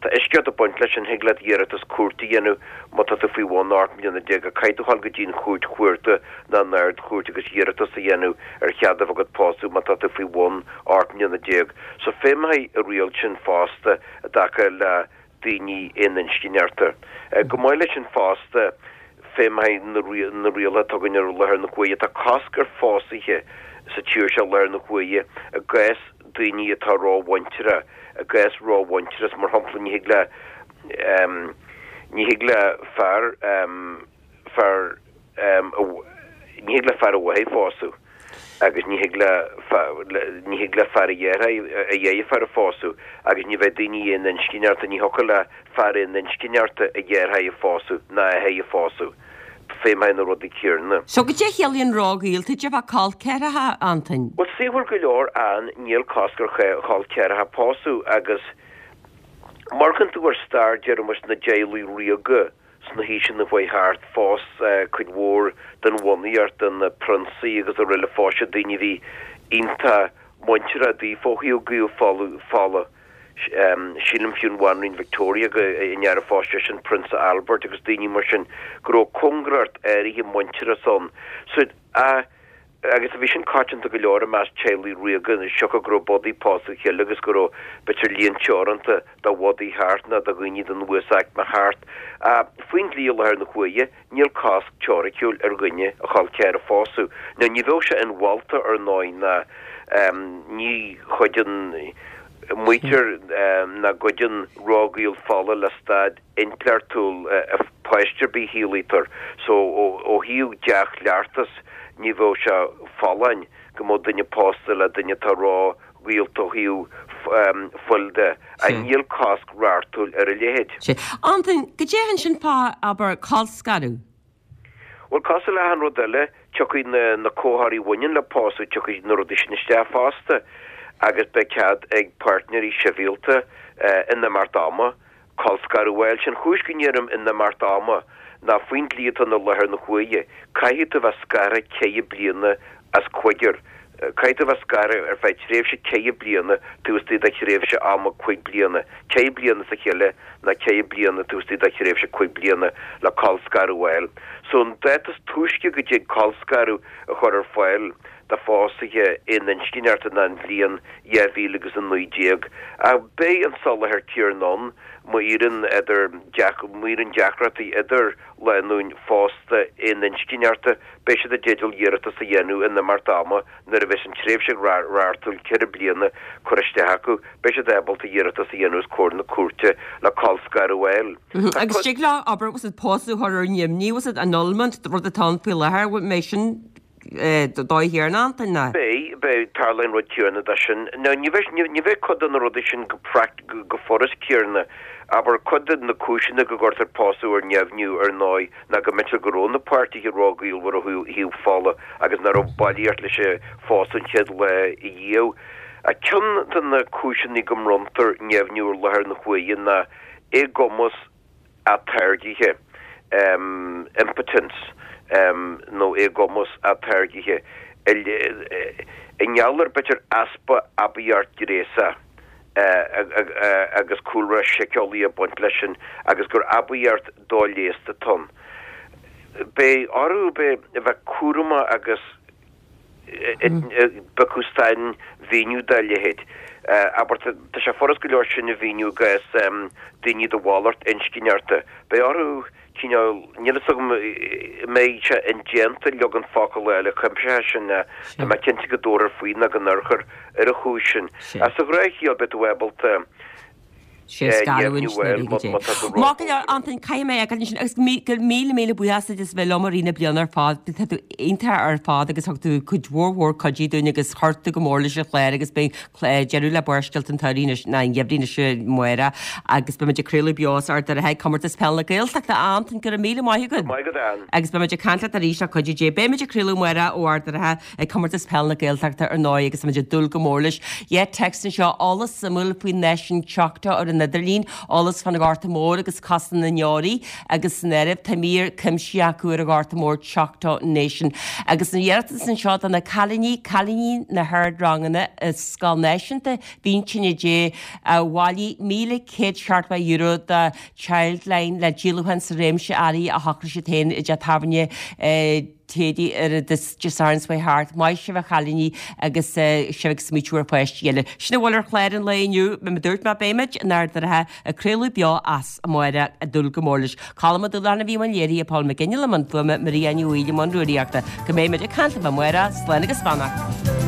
Tá eisceacht ag baint leis sin, thig leat iarratas cúirte a dhéanamh má tá tú faoi bhun 18 mbliana, ach caithfidh tú dhul go dtí an chúirt chuarda nó an Ard-Chúirt agus iarratas a dhéanamh ar chead a bheith agat pósadh má tá tú faoi bhun 18 mbliana. So feidhmeoidh an riail sin fosta i dtaca le daoine aoninscneachta. Chomh maith leis sin fosta, feidhmeoidh na rialacha atá againn ar láthair na huaire. Tá cosc ar phósuithe sa tír seo i láthair na huaire i gcás daoine atá rómhuinteartha, i gcás rómhuintearas, mar shampla, ní thig le, ní thig le fear, fear, ní thig le fear a mháthar phósadh agus ní thig le, ní thig le fear a dheartháir, a dheirfiúr a phósadh agus ní bheidh daoine aoninscneachta, ní thiocfadh le fear aoninscneachta a dheartháir a phósadh ná a athair a phósadh. Feidhmeoidh na rudaí céanna. So goidé a chiallaíonn róghaolta, goidé fá col ceathracha, Antain? Bhuel, saoithiúil go leor ann, níl cosc ar chol ceathracha pósadh agus má amharcann tú ar stair, déarfaimis, na dteaghlaigh ríoga sna haoiseanna a chuaigh thart, phós cuid mhór den bhunaíocht, de na prionsaí agus araile, phós siad daoine a bhí iontach muinteartha daofa ó thaobh gaol fola. Sílim fiú an Bhanríon Victoria go an fhear a phós seisean, Prionsa Albert agus daoine mar sin, go raibh cóngaracht áirithe muintearas ann. So, a, agus bhí sin coitianta go leor i measc teaghlaigh ríoga, siocair go raibh bodaí ag pósadh a chéile agus go raibh b'fhéidir líon teoranta de bhodaí thart nó de dhaoine den uasaicme thart. Faoin dlí i láthair na huaire, níl cosc teoiriciúil ar dhuine a chol ceathar a phósadh. Now ní bheadh sé inmholta ar ndóigh ná ní chuideann, maítear nach gcuideann róghaol fola le staid intleachtúil páiste ar bith a shaolaítear. So ó thaobh dea-chleachtas ní bheadh sé folláin go mbeadh duine pósta le duine atá ró ghaolta ó thaobh fuil de, ach níl cosc reachtúil ar a leithéid. Sea. Antain, goidé ansin fá, abair, colscaradh? Bhuel, cosúil le achan rud eile, tiocfaidh na na comharthaí a bhaineann le pósadh, tiocfaidh na rudaí sin isteach fosta agus beidh cead ag páirtnéirí sibhialta in imeacht ama colscaradh a fháil. Sé'n chúis go ndeirim in imeacht ama ná faoin dlí atá ann i láthair na huaire, caithfidh tú a bheith scartha ceithre bliana as cúigear. Caithfidh tú a bheith scartha ar feadh tréimhse ceithre bliana taobh istigh de thréimhse ama cuig bliana, ceithre bliana as a chéile ná ceithre bliana taobh istigh de thréimhse cuig bliana le colscaradh a fháil. So an dáta is túisce go dtig colscaradh a chur ar fáil do phósaithe aoninscneachta ná an bhliain 2019. Ach beidh an soláthar céarna ann má éiríonn idir má éiríonn deacrachtaí idir lánúin phósta aoninscneachta, beidh siad i dteideal iarratas a dhéanamh in imeacht ama nuair a bheas an tréimhse reachtúil 4 bliana curtha isteach acu, beidh siad ábalta iarratas a dhéanamh os comhair na cúirte le colscaradh a fháil. Tá Agus tig leo, abair, bhfuil a fhios agat pósadh a chur ar neamhní, bhfuil a fhios agat annulment, rud atá ann faoi láthair, bhfuil mbeidh sin dóigh chéarna Antain, ná? Beidh, beidh, tarlaíonn an rud céarna de sin. Now ní bheidh, ní bheidh cuid de na rudaí sin go pract, go furast céarna. Abair, cuid de na cúiseanna go gcuirtear pósadh ar neamhniú, ar ndóigh, ná go mb'fhéidir go raibh na páirtithe róghaolmhar ó thaobh fola agus nach raibh bailíocht leis an phósadh an chéad lá a dhiaidh. Ach ceann de na cúiseanna go mbronntar neamhniú ar láthair na huaire ná éagumas atáirgithe, impotence, nó éagumas atáirgithe i ngeall ar b'fhéidir easpa aibíocht ghnéasach agus cúlra síceolaí ag baint leis sin agus gur aibíocht doleigheasta atá ann. Beidh orthu a bheith cúramach agus bheith acu sainmhíniú dá leithéid. Abair, tá sé furast go leor sin a mhíniú i gcás daoine de mhalairt inscneachta. Beidh orthu cineál, níl fhios agam an mbeidh sé indéanta leagan focal a fháil a chuimseoidh sin, tá mé cinnte go dtabharfar faoi nó go n-urchar ar an chúis sin. Ach sa ghnáthchiall beidh tú ábalta sé scarúint na ríge dé. Maith go leor, Antain, caithfidh mé a fhágáil ansin agus go míle míle buíochas duit as bheith liom i rith na bliana ar fad. Tá tú iontach ar fad agus thug tú cuid mhór mhór cuidiú dúinn agus chuir tú go mór leis an chlár agus beidh deireadh le Barrscéalta an tSamhraidh anois, ná an gheimhridh anois amárach agus beimid ag craoladh beo as Ard an Rátha ag Comórtas Peile na Gaeltachta. A Antain, go raibh míle maith agat. Maith agat, Ann. Agus beimid ag caint leat arís le cuidiú Dé. Beimid ag craoladh amárach ó Ard an Rátha ag Comórtas Peile na Gaeltachta ar ndóigh agus táimid ag dúil go mór leis. Yeah, text anseo, eolas suimiúil faoin náisiún Choctaw ar an idirlíon, eolas fán Ghorta Mór agus Cosa na nDeoraí agus san áireamh tá mír cuimsitheach acu ar an Ghorta Mór Choctaw Nation. Agus an iarratas anseo do na cailíní, cailíní na hardranganna i Scoil Náisiúnta Mhíntíne Dé a bhailigh €1,170 do Childline le díolúchán sa réimse earraí a shocraigh siad féin i dteach tábhairne Téadaí ar an Dé Sathairn seo thart. Maith sibh a chailíní agus sibh ag smaoitiú ar pháistí eile. Sin a bhfuil ar chlár an lae inniu. Mar a dúirt mé beimid in Ard an Rátha ag craoladh beo as amárach ag dúil go mór leis. Colm Ó Dúlacháin a bhí i mbun léirithe, Paul McGinley i mbun fuaime, Maria Ní Bhaoill i mbun rúnaíochta. Go mbeidh muid ag caint libh amárach, slán agus beannacht.